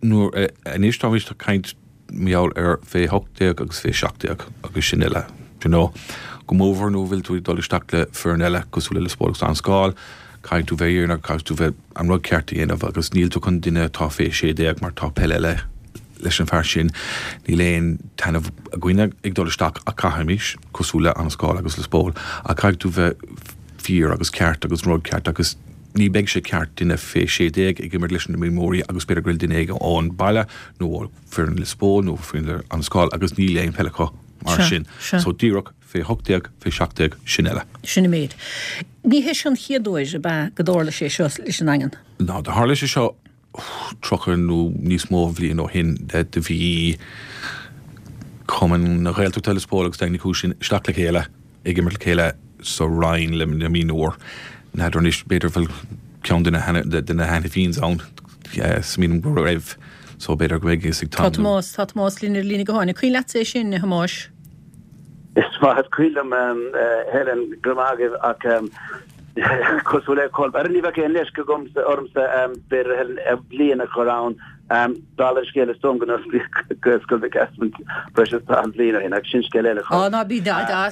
nuair, anois táimid ag caint mar gheall ar fé 18 agus fé 17 agus sin uile, do you know. Go mórmhór nuair a bhfuil tú ag dul isteach le foireann eile cosúil le Lios Póil agus Abha na Scáil, caithfidh tú bheith fhírinneach, caithfidh tú bheith an rud ceart a dhéanamh agus níl tú chun duine atá fé 16 mar tá peil eile leis an fear sin, níl aon taitneamh againne ag dul isteach ach caithfimis, cosúil le Abha na Scáil agus Lios Póil, ach caithfidh tú bheith fíor agus ceart agus an rud ceart agus ní beidh sé ceart duine fé 16 ag imirt leis na mionúirí agus b'fhéidir go bhfuil duine éigin ón baile nó ó foireann Lios Póil nó foireann Abha na Scáil agus níl aon peil acu mar sin. So díreach fé 18, fé 17, sin uile. Sin an méid. Ní hé seo an chéad uair, ab ea, go dtarla sé seo leis an nDaingean? Ná, do tharla sé seo 30 nó níos mó bhliain ó shin. Do bhí Cumann na Gaeltachta Lios Póil agus Daingean Uí Chúis isteach le chéile ag imirt le chéile sa Roinn le na mionúir. N'fheadar anois, b'fhéidir bhfuil ceann de na de na hAiniféins ann, smaoiním go raibh, so b'fhéidir go mbeidh fhios ag Tom. Tá Tomás, tá Tomás linn ar líne gutháin. An cuimhin leatsa é sin, a Thomáis? Is maith is cuimhin liom, Helen, go raibh maith agaibh, ach cosúil le Colm, ar ní bheadh aon leisce agamsa, ormsa, b'fhéidir, Helen, bliain a chur ann, dála an scéil is dóigh liom go n-osclaíodh Gaelscoil Mhic Easmainn breis is 40 bliain ó shin, ach sin scéal eile. Á, ná bí,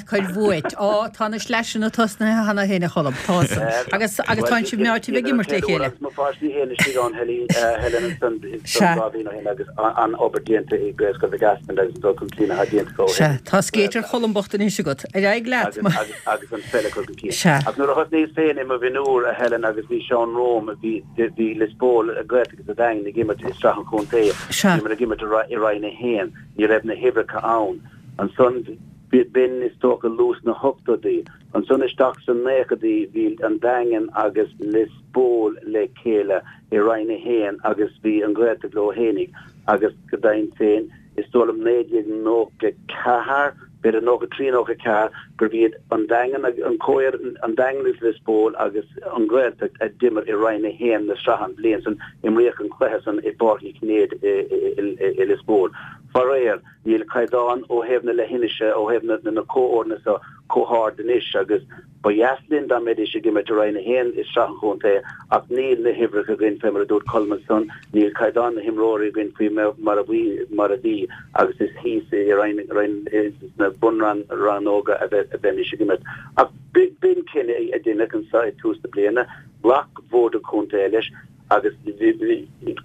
cuir uait. Á, tá na sleaiseanna tosnaithe cheana féin, a Cholm, tá san. Agus, agus tá sibh meáite bheith ag imirt le chéile. Agus mo pháistí féin istigh ann, Helen, ansan, Sea. 2 bhliain ó shin agus an-obair déanta i Gaelscoil Mhic Easmainn agus an dul chun cinn atá déanta acu ó shin. Sea, tá scéit ar Cholm bocht anois agat. Ar aghaidh leat. Agus an pheil a chur chun cinn. Sea. Ach nuair a thosnaíos féin i mo mhionúr, a Helen, agus bhí Seán romham, bhí, bhí Lios Póil, Gaeltacht agus an Daingean ag imirt i Sraith an Chontae. Sea. Bhíomar ag imirt i Roinn 1. Ní raibh na huimhreacha ann. Ansan, b'in is dócha luath sna hochtóidí. Ansan isteach sna naochadaí bhí an Daingean agus Lios Póil le chéile i Roinn 1 agus bhí an Ghaeltacht leo fhéinig agus go deimhin féin is dóigh liom 1994. B'fhéidir 93, 94, gurbh iad an Daingean agus an comhfhoireann, an Daingean agus Lios Póil agus an Ghaeltacht a d'imir i Roinn 1 na sraithe an bhliain san, imríodh an cluiche san i bPáirc Uí Chinnéide i Lios Póil. Faraor, níl caighdeán ó thaobh na leithinise, ó thaobh na comhfhoirne so chomh hard anois agus Ba dheas linn dá mbeidís ag imirt i Roinn 1 i Sraith an Chontae ach níl na huimhreacha againn fé mar a dúirt Colm ansan, níl caighdeán na himreoirí againn faoi mar a bhí mar a bhí agus is thíos i Roinn Roinn sna bunrannóga a bheimis ag imirt. Ach b'in cinneadh a deineadh anso ag tús na bliana, ghlac Bord an Chontae leis agus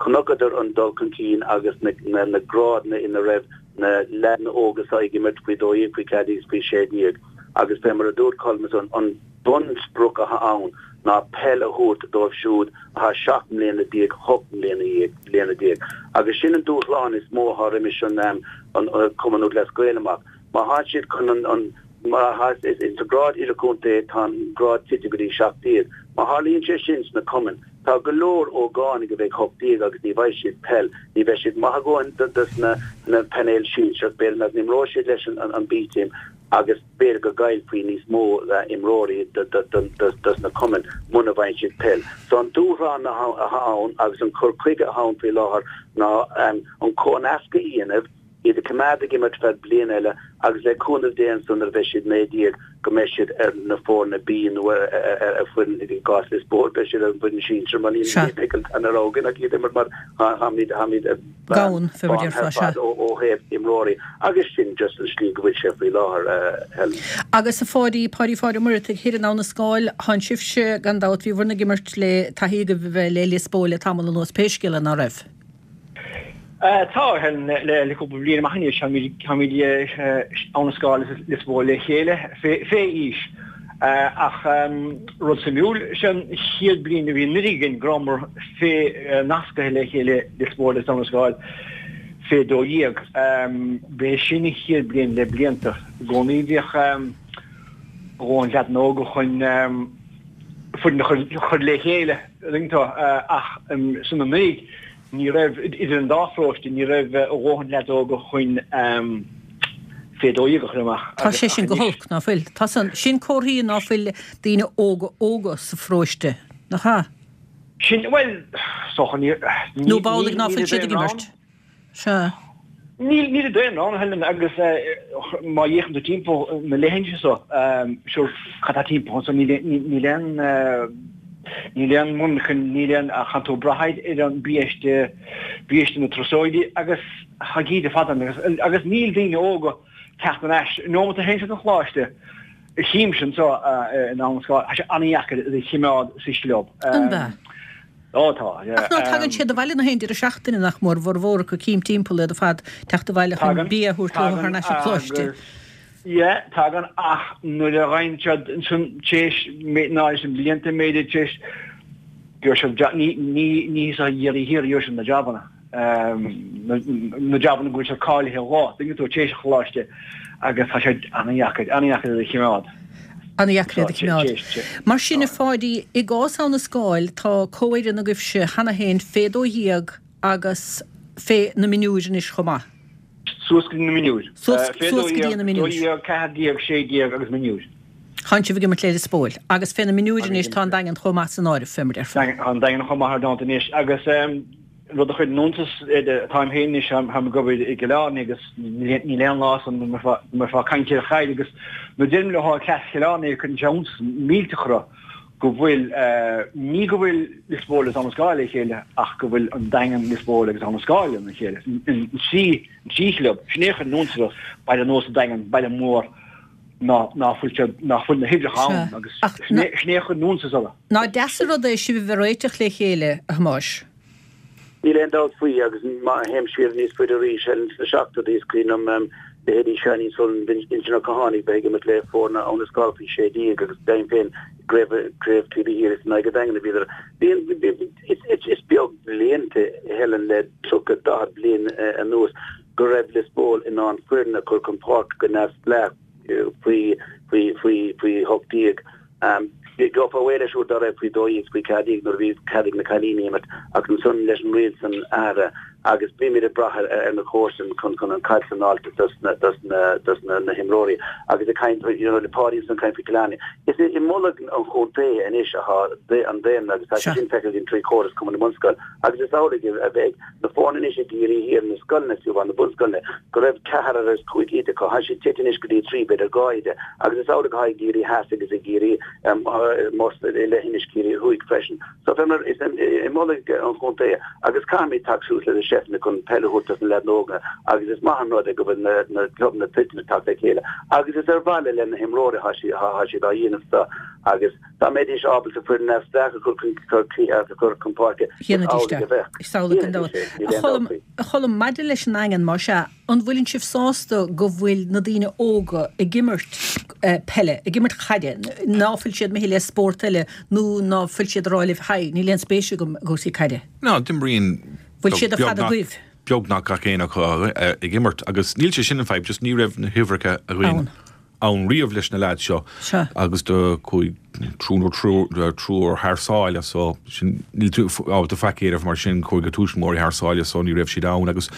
chonaiceadar an dul chun cinn agus na grádanna ina raibh na leaideanna óga so ag imirt faoi 12, faoi 14 is faoi 16 agus fé mar a dúirt Colm ansan, an bunsprioc atá ann ná peil a thabhairt dóibh siúd atá 17 mbliana, 18 mbliana déag agus sin an dúshlán is mó atá roimis an Cumann Lúthchleas Gael amach. Má thá siad chun an, má thá, sa grád idirchontae tá an grád tite go dtí 17. Má tharlaíonn sé sin sna cumainn, tá go leor ógánaigh a bheidh 18 agus ní bhfaighidh siad peil, ní bheidh siad maith a dhóthain dos na na painéil sinsearach, b'fhéidir nach n-imreoidh siad leis an B-team agus b'fhéidir go gcaillfí níos mó imreoirí dos na cumainn muna bhfaigheann siad peil. So an dúshlán atá ann agus an cur chuige atá ann faoi láthair ná an comhnascadh a dhéanamh, iad a choimeád ag imirt feadh bliain eile agus le cúnamh Dé ansan nuair a bheidh siad 19 go mbeidh siad ar na foirne B nó ar foireann i gcás Lios Póil beidh siad ar an bhfoireann sinsir mar níl níl an rogha againn ach iad a imirt mar tháimid tháimid Gann, fé mar a déarfá, sea. ó ó thaobh imreoirí agus sin just an slí go bhfuil sé faoi láthair, Helen. Agus a Pháidí, Páidí Pháid Ó Muireadhaigh thoir in Abha na Scáil, thánn sibhse gan dabht, bhí bhur ag imirt le taithí agaibh a bheith le Lios Póil le tamall anuas pé scéal é, ná raibh? Tá, le cúpla bliain amach anois, táimid Abha na Scáil agus Lios Póil le chéile fé aois. Ach rud suimiúil, sé an chéad bliain a bhí anuraidh againn go rabhamar fé nascaithe le chéile Lios Póil agus Abha na Scáil fé 12. B'é sin an chéad bliain le blianta. I gcónaí bhíodh a dhóthain leaideanna óga chun foireann a chur le chéile, an dtuigeann tú, ach san anuraidh ní raibh, idir an dá pharóiste, ní raibh a dhóthain leaids óga chun fé 12 a chur amach. Tá sé sin go holc, ná fuil? Tá san, sin comharthaí ná fuil daoine óga óga sa pharóiste, nach ea? Sin, bhuel, is dócha, ní, Nó b'amhlaidh ná fuil siad ag imirt. Sea. Níl, níl a daonra ann, a Helen, agus má fhéachann tú timpeall na leithinse so, sure, cad tá timpeall anso, níl, níl aon, níl aon mhonarcha, níl aon, ach tánn tú ag brath ar an biaiste, biaiste na turasóirí agus tá gíde fada ann agus, agus níl daoine óga teacht thar n-ais. An nóimeat a théann siad chun choláiste, chímse anso in Abha na Scáil, tá sé an-dheacair iad a chimeád sa chlub. An b'ea? Ó tá, yeah. Ach ná tagann siad abhaile na haon deireadh seachtaine nach mór, a bhformhór acu cím timpeall iad ar fad, teacht abhaile chun bia a thabhairt leo thar n-ais an choláiste. Yeah, tagann ach nuair a ghabhann siad ansan téis ná leis an blianta mb'fhéidir téis gheobhaidh siad job ní ní ní sa dheireadh thiar gheobhaidh siad na jabanna. Na jabanna go bhfuil siad cáilithe dhó, tuigeann tú, téis an choláiste agus tá sé an-dheacair, an-dheacair iad a chimeád. An-dheacair iad a chimeád. Mar sin, a Pháidí, i gcás Abha na Scáil, tá comhfhoireann agaibhse cheana féin fé 12 agus fé na mionúir anois chomh maith. Suas go dtí na mionúir. Suas go dtí na mionúir. 12, 14, 16 agus mionúir. Tánn sibh ag imirt le Lios Póil. Agus fé na mionúir anois tá an Daingean chomh maith san áireamh, fé mar déarfá. Tá an Daingean chomh maith ar ndóigh anois agus rud a chuireann iontas táim féin anois, táim ag obair i gCill Airne agus níl aon lá san nach mbeifeá ag caint ar chaid agus nuair a deirim leo cleas Chill Airne cuireann sé iontas millteach orthu go bhfuil, ní go bhfuil Lios Póil agus Abha na Scáil le chéile ach go bhfuil an Daingean, Lios Póil agus Abha na Scáil lena chéile, an trí chlub, sin é a chuireann iontas orthu, baile nós an Daingean, baile mór. ná fuil siad, ná fuil na huimhreacha ann agus sin é a chuireann iontas orthu. Nach deas an rud é sibh a bheith réiteach le chéile, a Thomáis? Níl aon dabht faoi agus má théim siar níos faide arís, sna seachtóidí is cuimhin liom leithéidí Seáinín Sullivan, Uinseann Ó Cathánaigh bheith ag imirt le foirne Abha na Scáil faoi 16 agus deimhin féin i gcraobh Taobh Thiar is in aghaidh an Daingin a bhíodar. Is beag blianta, Helen, le 30, 40 bliain anuas go raibh Lios Póil in ann foireann a chur chun páirce go neamhspleách faoi faoi 18. Gheofá réidh leis uair dá raibh faoi 12 is faoi 14 nuair a bhí cead ag na cailíní imirt ach ansan leis an riail san athraithe. Agus bímid ag brath ar na comharsain chun chun an caid a fháilt dos na dos na dos na na himreoirí. Agus ag caint you know le Páidí ansan ag caint faoi Cill Airne. Is i mbolg an chontae anois atá an daonra agus tá sé sin feicthe againn trí chóras Cumann na mBunscol agus is amhlaidh a bheidh na foirne anois i gCiarraí Thiar, na scoileanna fiú amháin, na bunscoileanna, go raibh ceathrar agus cúig oide acu. Tá siad tite anois go dtí trí, b'fhéidir dhá oide agus is amhlaidh atá i gCiarraí Theas agus i gCiarraí most i leithinis Ciarraí Thuaidh freisin. So fé mar is i mbolg an chontae agus caithfimid teacht suas le na seifteanna chun peil a thabhairt dos na leaideanna óga agus is maith an rud é go bhfuil na na clubanna toilteanach teacht le chéile agus is ar mhaithe le na himreoirí atá siad atá siad á dhéanamh so agus dá mbeidís ábalta foireann neamhspleách a chur chun a chur chun páirce is amhlaidh a bheadh. Is amhlaidh gan dabht. A Cholm, a Cholm, maidir leis an nDaingean, más ea, An bhfuileann sibh sásta go bhfuil na daoine óga ag imirt peile, ag imirt caide, ná fuil siad imithe le spórt eile nó ná fuil siad ag rá libh haigh, níl aon spéis agam i gcúrsaí caide? Ná, d'imríonn Bhfuil siad ar fad agaibh? beagnach gach éinne acu ag imirt agus níl sé sin an fadhb, just ní raibh na huimhreacha againn. ann riamh leis na leaids seo agus do chuaigh triúr nó triúr thar sáile so sin níl tú ábalta faic a dhéanamh mar sin chuaigh a tuismitheoirí thar sáile so ní raibh siad ann agus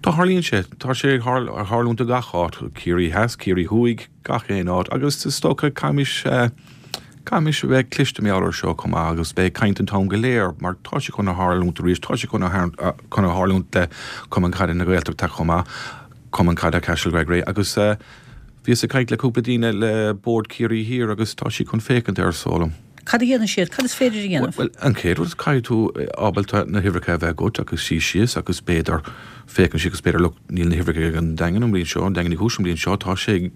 tá tharlaíonn sé tá sé ag tharlúint i gach áit Ciarraí Theas, Ciarraí Thuaidh, gach aon áit agus is dócha caithfimis caithfimis a bheith cliste mar gheall air seo chomh maith agus beidh caint an t-am go léir mar tá sé chun a tharlúint arís tá sé chun a chun a tharlúint le Cumann Caide na Gaeltachta chomh maith. Cumann Caide Castlegregory agus bhíos ag caint le cúpla daoine le Bord Ciarraí Thiar agus tá siad chun féachaint air is dóigh liom. Cad a dhéanann siad? Cad is féidir a dhéanamh? Bhuel, an chéad rud, caithfidh tú ábalta na huimhreacha a bheith agat agus suí síos agus b'fhéidir féachaint síos agus b'fhéidir look níl na huimhreacha ag an Daingean an bhliain seo, an Daingean Uí Chúis an bhliain seo, tá sé ag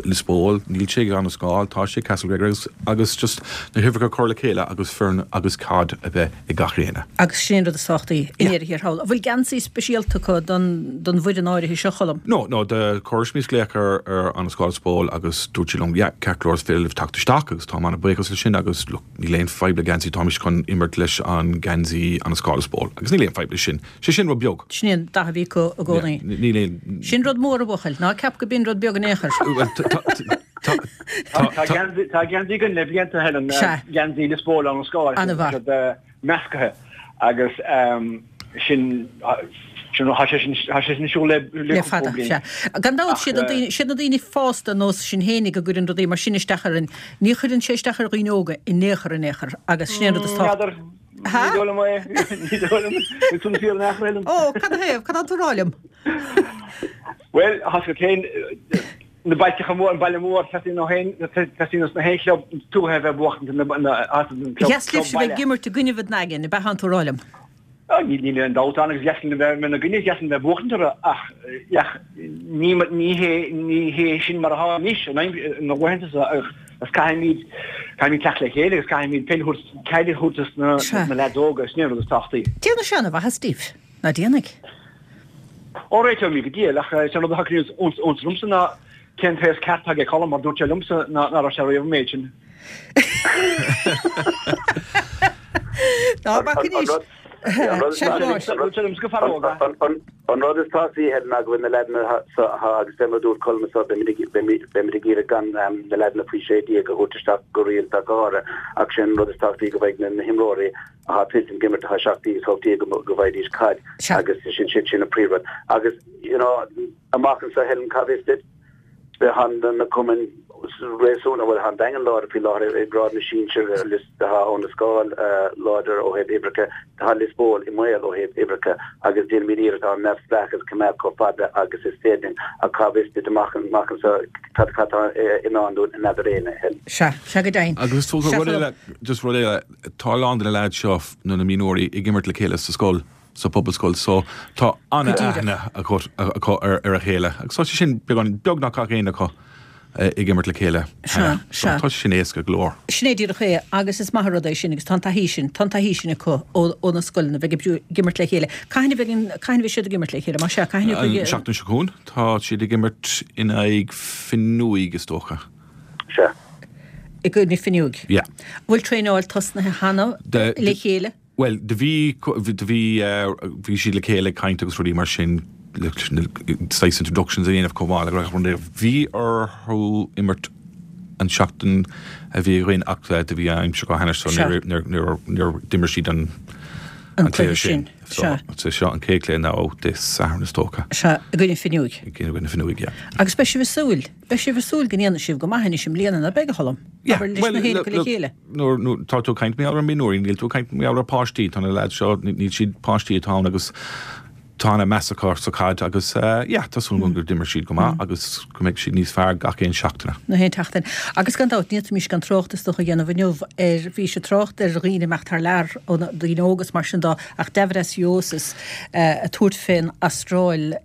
Lios Póil, níl sé ag Abhainn an Scáil, tá sé ag Castlegregory agus agus just na huimhreacha a chur le chéile agus foireann agus caid a bheith ag gach éinne. Agus sin é an rud is tábhachtaí i ndeireadh thiar thall. An bhfuil geansaí speisialta acu don don bhfoireann áirithe seo, Cholm? No, no, do chuireas mise glaoch ar ar Abhainn an Scáil Lios Póil agus dúirt siad liom yeah, ceart go leor is féidir libh teacht isteach agus táim an-bhuíochas leis sin agus look níl aon fadhb le geansaí táimid chun imirt leis an geansaí Abhainn an Scáil Lios Póil agus níl aon fadhb leis sin. Sé sin rud beag. Sin é an dath a bhí acu i gcónaí. Níl aon. Sin rud mór, a bhuachaill. Ná ceap go b'in rud beag in aon chor. Tá geansaí againn le blianta, Helen. Geansaí Lios Póil Abhainn an Scáil. An-mhaith. Meascaithe agus sin tá sé sin tá sé sin siúl le le fada. Sea. Gan dabht, siad na daoine fásta ar nós sinn fhéinig a gcuireann rudaí mar sin isteach orainn. Ní chuireann sé isteach ar dhaoine óga in aon chor in aon chor agus sin é an rud is tábhachtaí. Ní dóigh liom é. Ní dóigh liom. Bhfuil tú fíor in aon chor, Helen? Ó, cad a thaobh? Cad tá tú a rá liom? Bhuel, tá sé féin, na bailteacha mór, an baile mór, teastaíonn ó haon, teastaíonn os na haon chlub tuaithe a bheith buachtaint na, na, as an club, Dheas libhse bheith ag imirt i gcoinnibh an Daingin, ab ea thánn tú a rá liom? Níl aon dabht ann agus dheas linn a bheith ina gcoinne, dheas linn a bheith buachtaint orthu ach, ach ní, ní hé, ní hé sin mar atá anois, na laethanta seo ach agus caithfimid, caithfimid teacht le chéile agus caithfimid peil a thabhairt, caid a thabhairt dos na, na leaids óga, sin é an rud is tábhachtaí. Déanfaidh sé ana-mhaitheas daoibh, ná déanfaidh? Ó réiteoimid go diail ach is é an rud a thagann iontas ormsa ná cén taos ceart atá ag Colm mar dúirt sé liomsa ná raibh sé riamh an méid sin. Ná bac anois. An rud is tábhachtaí Helen ná go bhfuil na leaideanna seo agus fé mar a dúirt Colm anseo beimid ag iarraidh gan na leaideanna faoi 16 a thabhairt isteach go rialta go háirithe ach sin an rud is tábhachtaí go mbeidh na himreoirí atá toilteanach ag imirt atá 17 is 18 go bhfaighidís caid agus sin sin sin an príomhrud. Agus you know amach anseo Helen cá bhfios duit tá na cumainn réasúnta bhuel tá an Daingean láidir faoi láthair i ngrád na sinsear Lios tá Abhainn an Scáil láidir ó thaobh uimhreacha tá Lios Póil i mbaol ó thaobh uimhreacha agus déanaimid iarracht ár neamhspleáchas a choimeád chomh fada agus is féidir linn ach cá bhfios duit amach amach anseo cad cad tá i ndán dúinn n'fheadar éinne Helen. Sea, sea go deimhin. Agus rud eile, just rud eile, Tá a lán de na leaids seo, nó na mionúirí, ag imirt le chéile sa scoil, sa phobalscoil, so tá an-aithne acu ar a chéile. Agus tá sé sin beagán, beagnach gach éinne acu ag imirt le chéile cheana. So tá sé sin éasca go leor. Sin é díreach é, agus is maith an rud é sin, agus tá an taithí sin, tá an taithí sin acu ó na scoileanna, bheith ag imirt le chéile. Cathain a bheidh, cathain a bheidh siad ag imirt le chéile? Más ea, cathain a bheidh? An seachtain seo chugainn, tá siad ag imirt in aghaidh Fionnuaigh, is dócha. Sea. I gcoinne Fionnuaigh. Yeah. Bhfuil traenáil tosnaithe cheana le chéile? Bhuel, do bhí, do bhí, bhí siad le chéile ag caint agus rudaí mar sin, saghas introductions a dhéanamh chomh maith le gach rud. Bhí orthu imirt an seachtain a bhí againn ach do bhí an aimsir go hainnis so níor, níor, níor, d'imir siad an. An cluiche sin. Sea. So, seo an chéad chluiche ná Dé Sathairn is dócha. Sea, i gcoinne Fionnuaigh. I gcoinne Fionnuaigh, yeah. Agus beidh sibh ag súil, beidh sibh ag súil go ndéanfaidh sibh go maith anois i mbliana, ná beidh, a Cholm? Yeah, Abair leis well, na haon look, acu le look, chéile. nuair, nuair, tá tú ag caint mar gheall ar mionúirí, níl tú ag caint mar gheall ar páistí, tá na lads seo, níl siad páistí atá ann agus tá ana meas acu sa chaid agus yeah, tá súil agam go d'imir siad go maith agus go mbeidh siad níos fearr gach aon seachtaine. Na haon tseachtain. Agus gan dabht, ní fhéadfaimis gan trácht is dócha a dhéanamh inniu ar, bhís ag trácht ar dhaoine imeacht thar lear, ó na daoine óga is mar sin dó, ach Deividas Uosis ag tabhairt fén Astráil,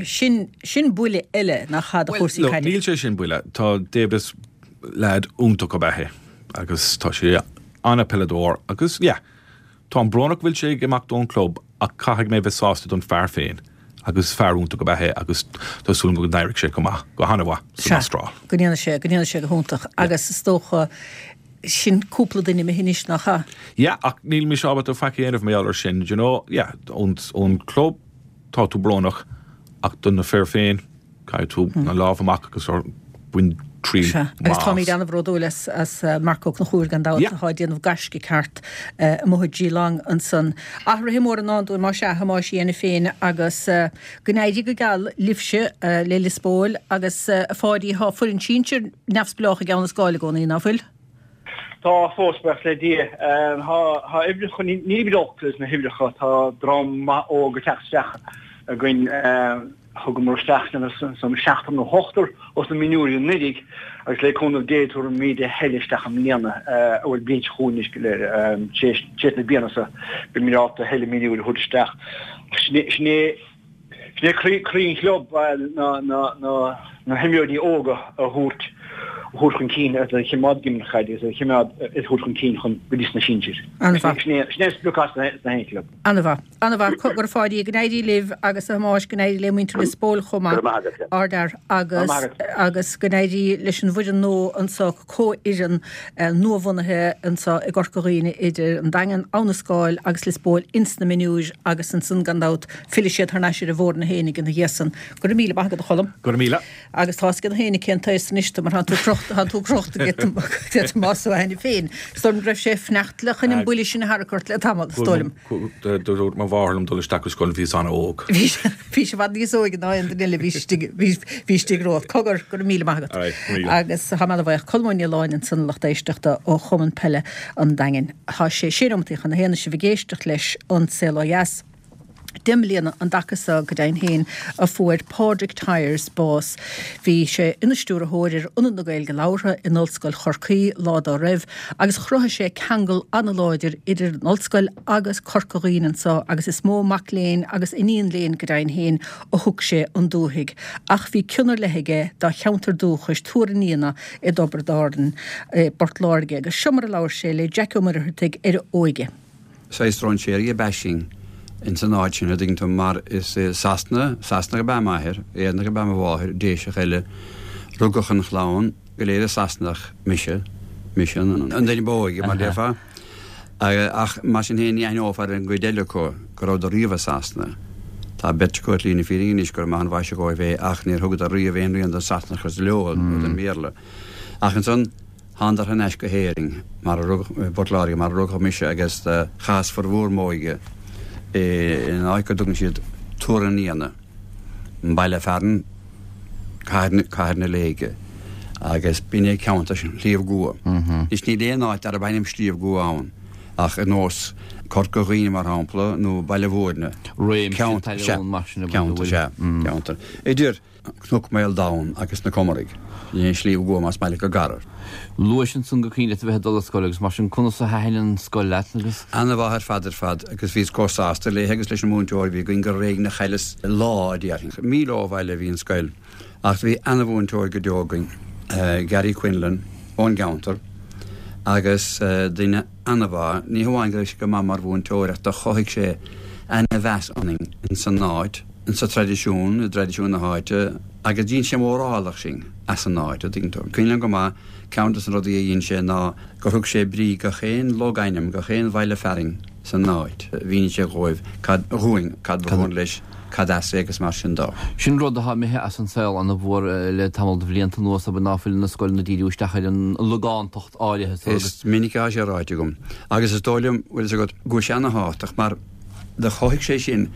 sin, sin buille eile nach ea do Bhuel, chúrsaí look, caide. níl sé sin buille. Tá Deividas leaid iontach ab ea é agus tá sé ana-peileadóir agus yeah, Táim brónach go bhfuil sé ag imeacht ón club ach caithfidh mé bheith sásta don fear féin agus fear iontach ab ea é agus tá súil agam go n-éireoidh sé go maith, go han-mhaith san Sea, Astráil. go ndéanfaidh sé, go ndéanfaidh sé go hiontach agus is dócha sin cúpla duine imithe anois, nach ea? Yeah, ach níl mise ábalta faic a dhéanamh mar gheall ar sin, do you know, yeah, ón, ón club tá tú brónach ach do na fir féin, Caithfidh tú na lámha amach agus bain triail Sea, agus táimid an-bhródúil as as Marc Ó Conchúir gan dabht, atá ag déanamh gaisce ceart amuigh i Geelong ansan. Athruithe móra i ndán dúinn más ea, a Thomáis, a dhéanamh féin agus go n-éirí go geal libhse le Lios Póil agus a Pháidí, tá foireann sinsir neamhspleách ag Abha na Scáil i gcónaí, ná fuil? Tá fós, buíochas le Dia. Tá uimhreacha, nílimid olc leis na huimhreacha, tá dream maith óg ag teacht isteach againn. Thugamar isteach san seachtar nó ochtar os na mionúirí anuraidh agus le cúnamh Dé tabharfaimid a thuilleadh isteach i mbliana, bhuel bliain seo chugainn anois go léir, tar éis na bliana seo beimid ábalta a thuilleadh mionúirí a thabhairt isteach. Sin é sin é croí croí an chlub ná ná na himreoirí óga a thabhairt a thabhairt chun cinn agus a choimeád ag imirt caide agus a choimeád a thabhairt chun cinn chun go dtí sna sinsir. An-mhaith. Sin é sin é an sprioc as na haon chlub. An-mhaith. An-mhaith. Go raibh Pháidí, go n-éirí libh agus a Thomáis, go n-éirí le muintir Lios Póil chomh Go maith. raibh maith agat. Ardfhear. Go raibh Agus maith agat. agus go n-éirí leis an bhfoireann nua anso, comhfhoireann nuabhunaithe anso i gCorca Dhuibhne idir an Daingean, Abha na Scáil agus Lios Póil ins na mionúir agus ansan gan dabht fillfidh siad thar n-ais ar an bhfoireann fhéinig ina dhiaidh san. Go raibh míle maith agat a Cholm. Go raibh míle. Agus tá's ag gach éinne cén t-aos anois tú mar thánn tú crochta, thánn tú crochta ag Tomás Ó Hainiféin féin. Is dóigh liom go raibh sé ag fanacht le chun an buille sin a tharrac ort le tamall, is dóigh liom. Dúirt mo mháthair liom dul isteach go scoil bhíos an-óg. Bhí sé i bhfad níos óige ná aon duine eile a bhí istigh, bhí istigh romhat. Cogar, go raibh míle maith agat. Agus tá mé ana-bhuíoch. Colm Ó Nialláin ansan a lucht éisteachta ó Chumann Peile an Daingin. Tá sé sé nóimeataí chun a haon is sibh ag éisteacht leis An Saol Ó Dheas. 10 mbliana an dtaca so go deimhin féin a fuair Pádraig Tyers bás. Bhí sé ina stiúrthóir ar Ionad na Gaeilge Labhartha in Ollscoil Chorcaí lá dá raibh agus chruthaigh sé ceangal an-láidir idir an ollscoil agus Corca Dhuibhne anso agus is mó mac léinn agus iníon léinn go deimhin féin a thug sé 'on dúthaigh. Ach bhí cion ar leith aige dá cheantar dúchais, Tuar an Fhíona i dTiobraid Árann, i bPort Láirge agus seo mar a labhair sé le Jackie Ó Muircheartaigh ar a óige. Saghas stróinséirí ab ea sinn ins an áit sin, a' dtuigeann tú, mar is i Sasana, Sasanach ab ea m'athair, Éireannach ab ea mo mháthair, Déiseach eile. Rugadh an chlann go léir i Sasanach, mise, mise an duine ba óige, mar déarfá. Ach mar sin féin ní aithneofá ar an gcuid eile acu go rabhadar riamh i Sasana. Tá beirt acu ar shlí na fírinne anois gur maith an mhaise dhóibh é ach níor thugadar riamh aon rian den Sasanachas leo nó den mBéarla. Ach ansan, Thánadar thar n-ais go hÉirinn, mar a rugadh, i bPort Láirge, mar a rugadh mise agus chaitheas formhór m'óige in áit go dtugann siad Tuar an Fhíona, an baile fearainn Cathair, Cathair na Léige, agus b'in é ceantar Shliabh gCua. Anois níl aon áit darb ainm Sliabh gCua ann ach ar nós Corca Dhuibhne mar shampla nó Baile Mhúirne. Réimse Ceantar, sea, talún mar sin a ceantar, sea, ceantar. Idir. Cnoc Maoldomhan agus na Comaraigh. Sin é Sliabh gCua más maith leat go garbh. Luais ansan gur cuimhin leat a bheith ag dul ar scoil agus mar sin conas a thaitin an scoil leat agus. Ana-mhaith ar fad ar fad agus bhíos chomh sásta léithe agus leis an múinteoir a bhí againn gur ar éigean a chailleas lá a déarfainn. Míle ó bhaile a bhí an scoil ach bhí ana-mhúinteoir go deo againn, Gary Quinlan ón gceantar agus duine ana-mhaith, ní hamháin go raibh sé go maith mar mhúinteoir ach do chothaigh sé ana-mheas ionainn ins an áit. insa traidisiún, i dtraidisiún na háite, agus dhein sé mórálach sinn as an áit, a' dtuigeann tú. Cuimhin liom go maith, ceann des na rudaí a dhein sé ná gur thug sé brí gach aon logainm, gach aon bhaile fearainn san áit. Mhínigh sé dhóibh cad, dhúinn, cad ba bhun leis, cad as é agus mar sin dó. Sin rud atá imithe as an saol ana-mhór le tamall de bhlianta anuas, abair, ná fuil na scoileanna ag díriú isteach ar an logántacht áirithe so agus. Is minic atá sé ráite agam, agus is dóigh liom, bhfuil fhios agat, go bhfuil sé ana-thábhachtach mar. Do chothaigh sé sin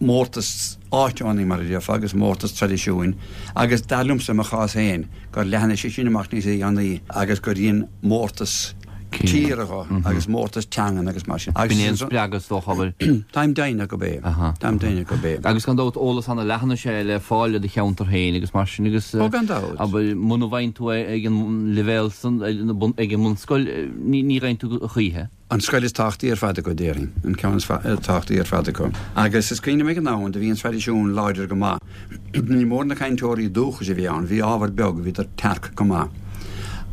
mórtas áitiúil, mar a déarfá, agus mórtas traidisiúin agus dar liomsa, i mo chás féin, gur leathnaigh sé sin amach níos déanaí agus gur dhein mórtas tíre dho agus mórtas teangan agus mar sin. B'in é an spreagadh is dócha, abair. Táim deimhneach gurb é. Táim deimhneach gurb é. Agus gan dabht eolas ana-leathan is ea é le fáil i do cheantar féin agus mar sin agus, Ó, gan dabht. abair, muna bhfaigheann tú é ag an leibhéal san, ag an mbunscoil, ní fhaigheann tú a choíche. An scoil is tábhachtaí ar fad acu, déarfainn. An ceann is tábhachtaí ar fad acu. Agus is cuimhin liom ag an am, do bhí an traidisiún láidir go maith. Ní mór na cainteoirí dúchais a bhí ann, bhí ábhar beag, bhíodar tearc go maith.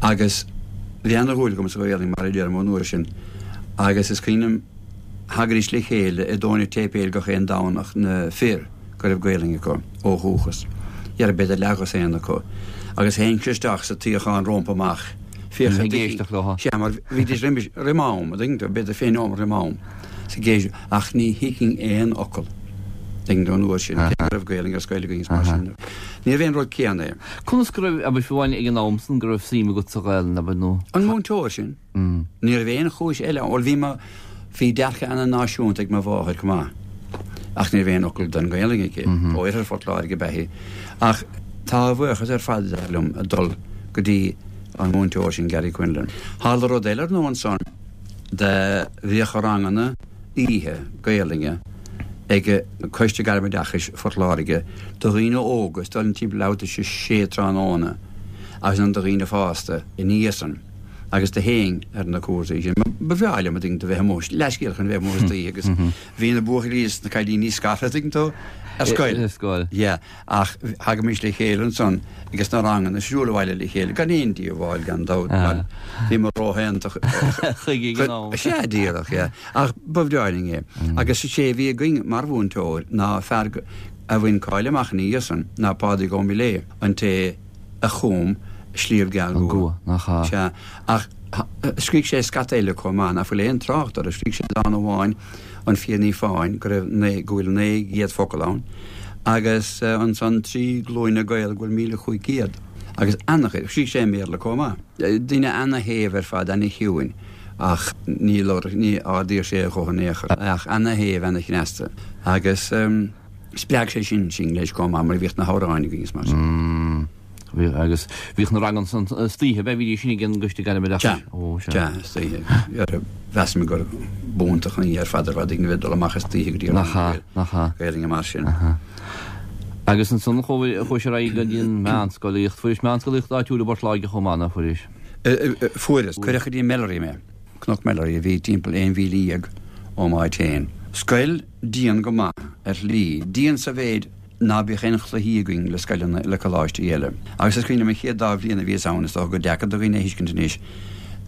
Agus bhí ana-dhúil agam sa Ghaelainn, mar a deirim, ón uair sin. Agus is cuimhin liom, thagaidís le chéile i dTóin an tSéipéil gach aon Domhnach, na fir go raibh Gaelainn acu ó dhúchas. Dhera, b'fhéidir leathdhosaen acu. Agus théinnse isteach sa tsuíochán rómpa amach. Féach ag éisteacht leo. Sea, mar bhídís roimis, roim am, an dtuigeann tú, b'fhéidir 20 nóiméad roim am, is ag éisteacht, ach ní thuigfinn aon fhocal, an dtuigeann tú, an uair sin, cé go raibh Gaelainn ar scoil againn is mar sin. Níorbh aon rud céanna é. Conas go raibh, abair, fiú amháin ag an am san, go raibh suim agat sa Ghaelainn, abair, nó? An múinteoir sin. Ní raibh aon chúis eile ann. Bhuel, bhí mo, bhí dearcadh ana-náisiúnta ag mo mháthair chomh maith, ach ní raibh aon fhocal den Ghaelainn aici. Ó oirthear Phort Láirge ab ea í. Ach tá a bhuíochas ar fad, dar liom, ag dul go dtí an múinteoir sin, Gary Quinlan. Tharla rud eile ar ndóigh ansan, do bhíodh ranganna oíche Gaelainne ag Coiste Gairmoideachais Phort Láirge do dhaoine óga, is dóigh liom timpeall leathuair tar éis a sé tráthnóna, agus ansan do dhaoine fásta ina dhiaidh san. agus do théinn ar na cúrsaí sin. Ba bhreá liom, an dtuigeann tú, bheith amuigh, leathscéal chun bheith amuigh istoíche agus bhí na buachaillí is na cailíní scartha, an dtuigeann tú, ar scoil. Ar scoil. Yeah, ach thagaimis le chéile ansan agus na ranganna siúl abhaile le chéile, gan aon díobháil, gan dabht, mar bhíomar róshaonta chuige ag an am. Sea, díreach, yeah. Ach ba bhreá linn é. Agus is é a bhí againn mar mhúinteoir ná fear a bhain cáil amach ina dhiaidh san, ná Pádraig Ó Miléadha, an té a chum Sliabh Geal Rua. Nach ea? Sea. Ach scrígh sé scata eile chomh maith, nach bhfuil aon trácht orthu. Scrígh sé dán amháin, An Fiadh Ní Fáin, go raibh naoi, go bhfuil 900 focal ann, agus ansan Trí Glúine Gael, go bhfuil 1,500. Agus ana-chuid. Scrígh sé i mBéarla chomh maith. Duine ana-shéimh ar fad, ana-chiúin, ach ní labhradh, ní ardaíodh sé a ghuth in aon chor. Ach ana-shéimh, ana-chneasta. Agus. Spreag sé sin sinn leis chomh maith mar bhíodh na hamhráin againn is mar sin. Bhíodh agus bhíodh na ranganna san istoíche, bhídís sin ag an gCoiste Gairmoideachais. Sea, Ó, sea. sea, istoíche. Mheas mé gur b'iontach an ní ar fad ar fad ag na bheith dul amach istoíche go dtí Nach ea, nach ea. Gaelainne mar sin. Agus ansan chuaigh sé ar aghaidh go dtí an meánscolaíocht. Fuairis meánscolaíocht áitiúil i bPort Láirge chomh maith, nach fuairis? Fuaireas. Cuireadh go dtí Melleray mé. Cnoc Melleray a bhí timpeall aon mhíle dhéag ó m'áit féin. Scoil dian go maith, ar shlí, dian sa mhéid ná bíodh aon chluichí againn le scoileanna, le coláistí eile. Agus is cuimhin liom an chéad dá bhliain a bhíos ann, is dócha gur deacair do dhaoine a thuiscint anois,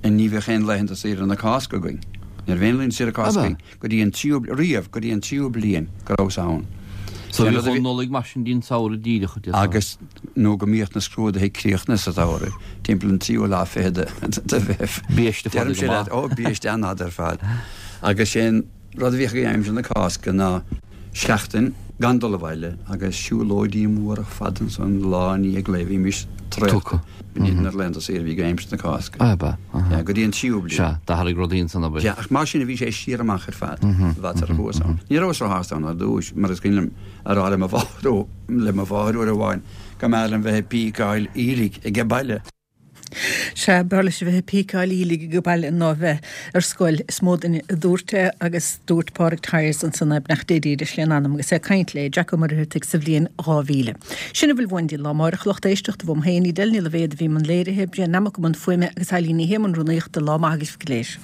ní bheadh aon laethanta saoire na Cásca againn. Ní raibh aon laethanta saoire Cásca againn go dtí an tríú, riamh, go dtí an tríú bliain go rabhas ann. So bhíodh an Nollaig mar sin dtí an samhradh díreach, a déarfá. Agus nó go mbíodh na scrúduithe críochnaithe sa samhradh, timpeall an tríú lá fichead de Mheitheamh. Biaiste fada go maith. Ó, biaiste an-fhada ar fad. Agus sé'n. Rud a bhíodh againn aimsir na Cásca ná seachtain gan dul abhaile agus siúlóidí móra fada ansan lá i ndiaidh lae bhímis traochta. B'in iad na laethanta saoire a bhí againn aimsir na Cásca. Ab ea? Sea, go dtí an tríú bliain. Sea, d'athraigh rudaí ansan, abair. Sea, ach mar sin a bhí sé siar amach ar fad, i bhfad sar a chuas ann. Ní rabhas róshásta ann ar dtúis, mar is cuimhin liom a rá le mo mháthair, le mo mháthair uair amháin go mb'fhearr liom bheith ag píceáil aoiligh age baile. Sea, b'fhearr leis a bheith ag píceáil aoiligh age baile ná a bheith ar scoil, is mó duine a dúirt é agus dúirt Pádraig Tyers ansan é, beannacht Dé dílis lena anam agus é ag caint le Jack Ó Muircheartaigh sa bhliain 2000. Sin a bhfuil uainn dtí lá amáireach, lucht éisteachta, uaim féin, Edel Ní Loibhéad a bhí i mbun léirithe, Brian Nammock i mbun fuaime agus Eilín Ní Shé i mbun rúnaíochta, lá maith agaibh go léir.